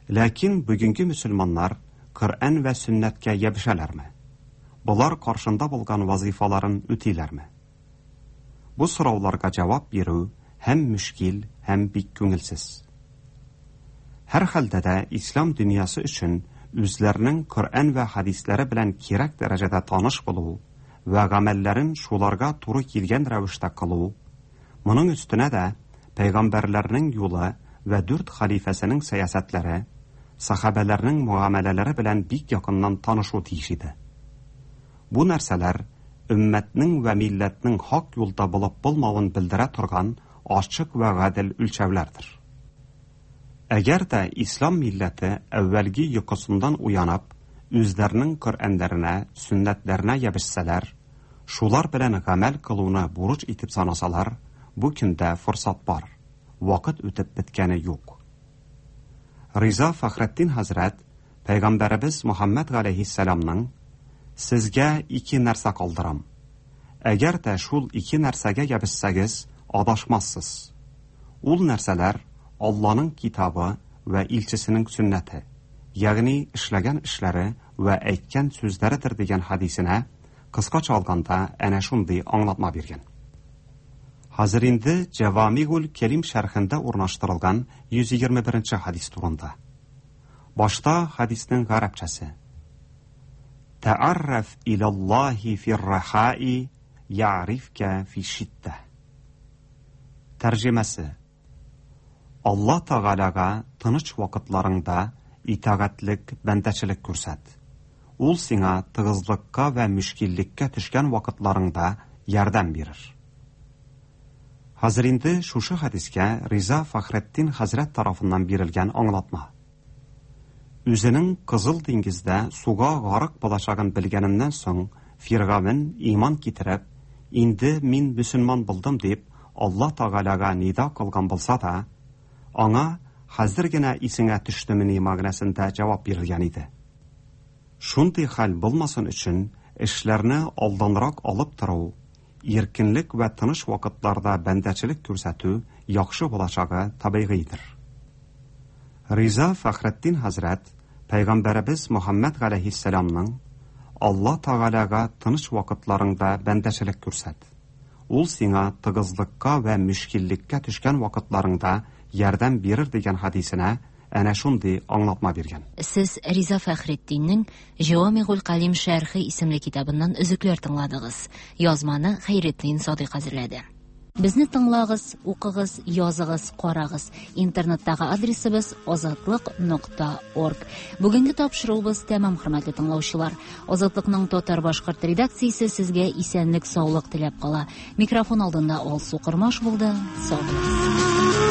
Ләкин бүгенге мөселманнар Коръән вә сөннәткә ябешәләрме? Болар каршында булган вазыйфаларын үтиләрме? Бу сорауларга җавап бирү һәм мөшкил, һәм бик күңелсез. Һәрхәлдә дә ислам дөньясы өчен үзләренең Коръән вә хәдисләре белән кирәк дәрәҗәдә таныш булу вә гамәлләрен шуларга туры килгән рәвештә кылу, Моның өстенә дә пәйгамбәрләрнең юлы вә дүрт хәлифәсенең сәясәтләре, сахабәләрнең мөгамәләләре белән бик якыннан танышу тиеш иде. Бу нәрсәләр өммәтнең вә милләтнең хак юлда булып булмавын белдерә торган ачык вә гадел үлчәүләрдер. Әгәр дә ислам милләте әүвәлге йокысыннан уянып, үзләренең Коръәннәренә, сөннәтләренә ябешсәләр, шулар белән гамәл кылуны бурыч итеп санасалар, бу көндә форсат бар, вакыт үтеп беткәне юк. Риза Фәхретдин хәзрәт Пәйгамбәребез Мөхәммәд галәйһиссәламның, Сезгә ике нәрсә калдырам. Әгәр дә шул ике нәрсәгә ябешсәгез, адашмассыз. Ул нәрсәләр Алланың китабы вә илчесенең сөннәте, ягъни эшләгән эшләре вә әйткән сүзләредер дигән хәдисенә, кыскача алганда, әнә шундый аңлатма биргән. Хәзер инде Җәвамигуль Кәлим шәрхендә урнаштырылган 121 нче хәдис турында. Башта хәдиснең гарәпчәсе. Тәарраф иләллаһи фир-рахаи я'рифкә фи-шиддә. Тәрҗемәсе. Алла Тәгаләгә тыныч вакытларыңда итагатьлек, бәндәчелек күрсәт. Ул сиңа тыгызлыкка вә мөшкиллеккә төшкән вакытларыңда ярдәм бирер. Хәзер инде шушы хәдискә Риза Фәхретдин хәзрәт тарафыннан бирелгән аңлатма. Үзенең Кызыл диңгездә суга гарык булачагын белгәненнән соң, Фиргавен иман китереп, Инде мин мөселман булдым дип, Алла Тәгаләгә нида кылган булса да, аңа хәзер генә исеңә төштемени мәгънәсендә җавап бирелгән иде. Шундый хәл булмасын өчен эшләрне алданрак алып тору, иркенлек вә тыныч вакытларда бәндәчелек күрсәтү яхшы булачагы табигыйдер. Риза Фәхретдин хәзрәт Пәйгамбәребез Мөхәммәд галәйһиссәламның, Алла Тәгаләгә тыныч вакытларыңда бәндәчелек күрсәт. Ул сиңа тыгызлыкка вә мөшкиллеккә төшкән вакытларыңда ярдәм бирер дигән хәдисенә әнә шундый аңлатма биргән. Сез Риза Фәхретдиннең Җавамигуль Калим шәрхе исемле китабыннан өзекләр тыңладыгыз. Язманы Хәйретдин Садыйк әзерләде. Безне тыңлагыз, укыгыз, языгыз, карагыз. Интернеттагы адресыбыз азатлык.орг. Бүгенге тапшыруыбыз тәмам, хөрмәтле тыңлаучылар. Азатлыкның татар-башкорт редакциясе сезгә исәнлек-саулык теләп кала. Микрофон алдында Алсу Кормаш булды. Сау булыгыз.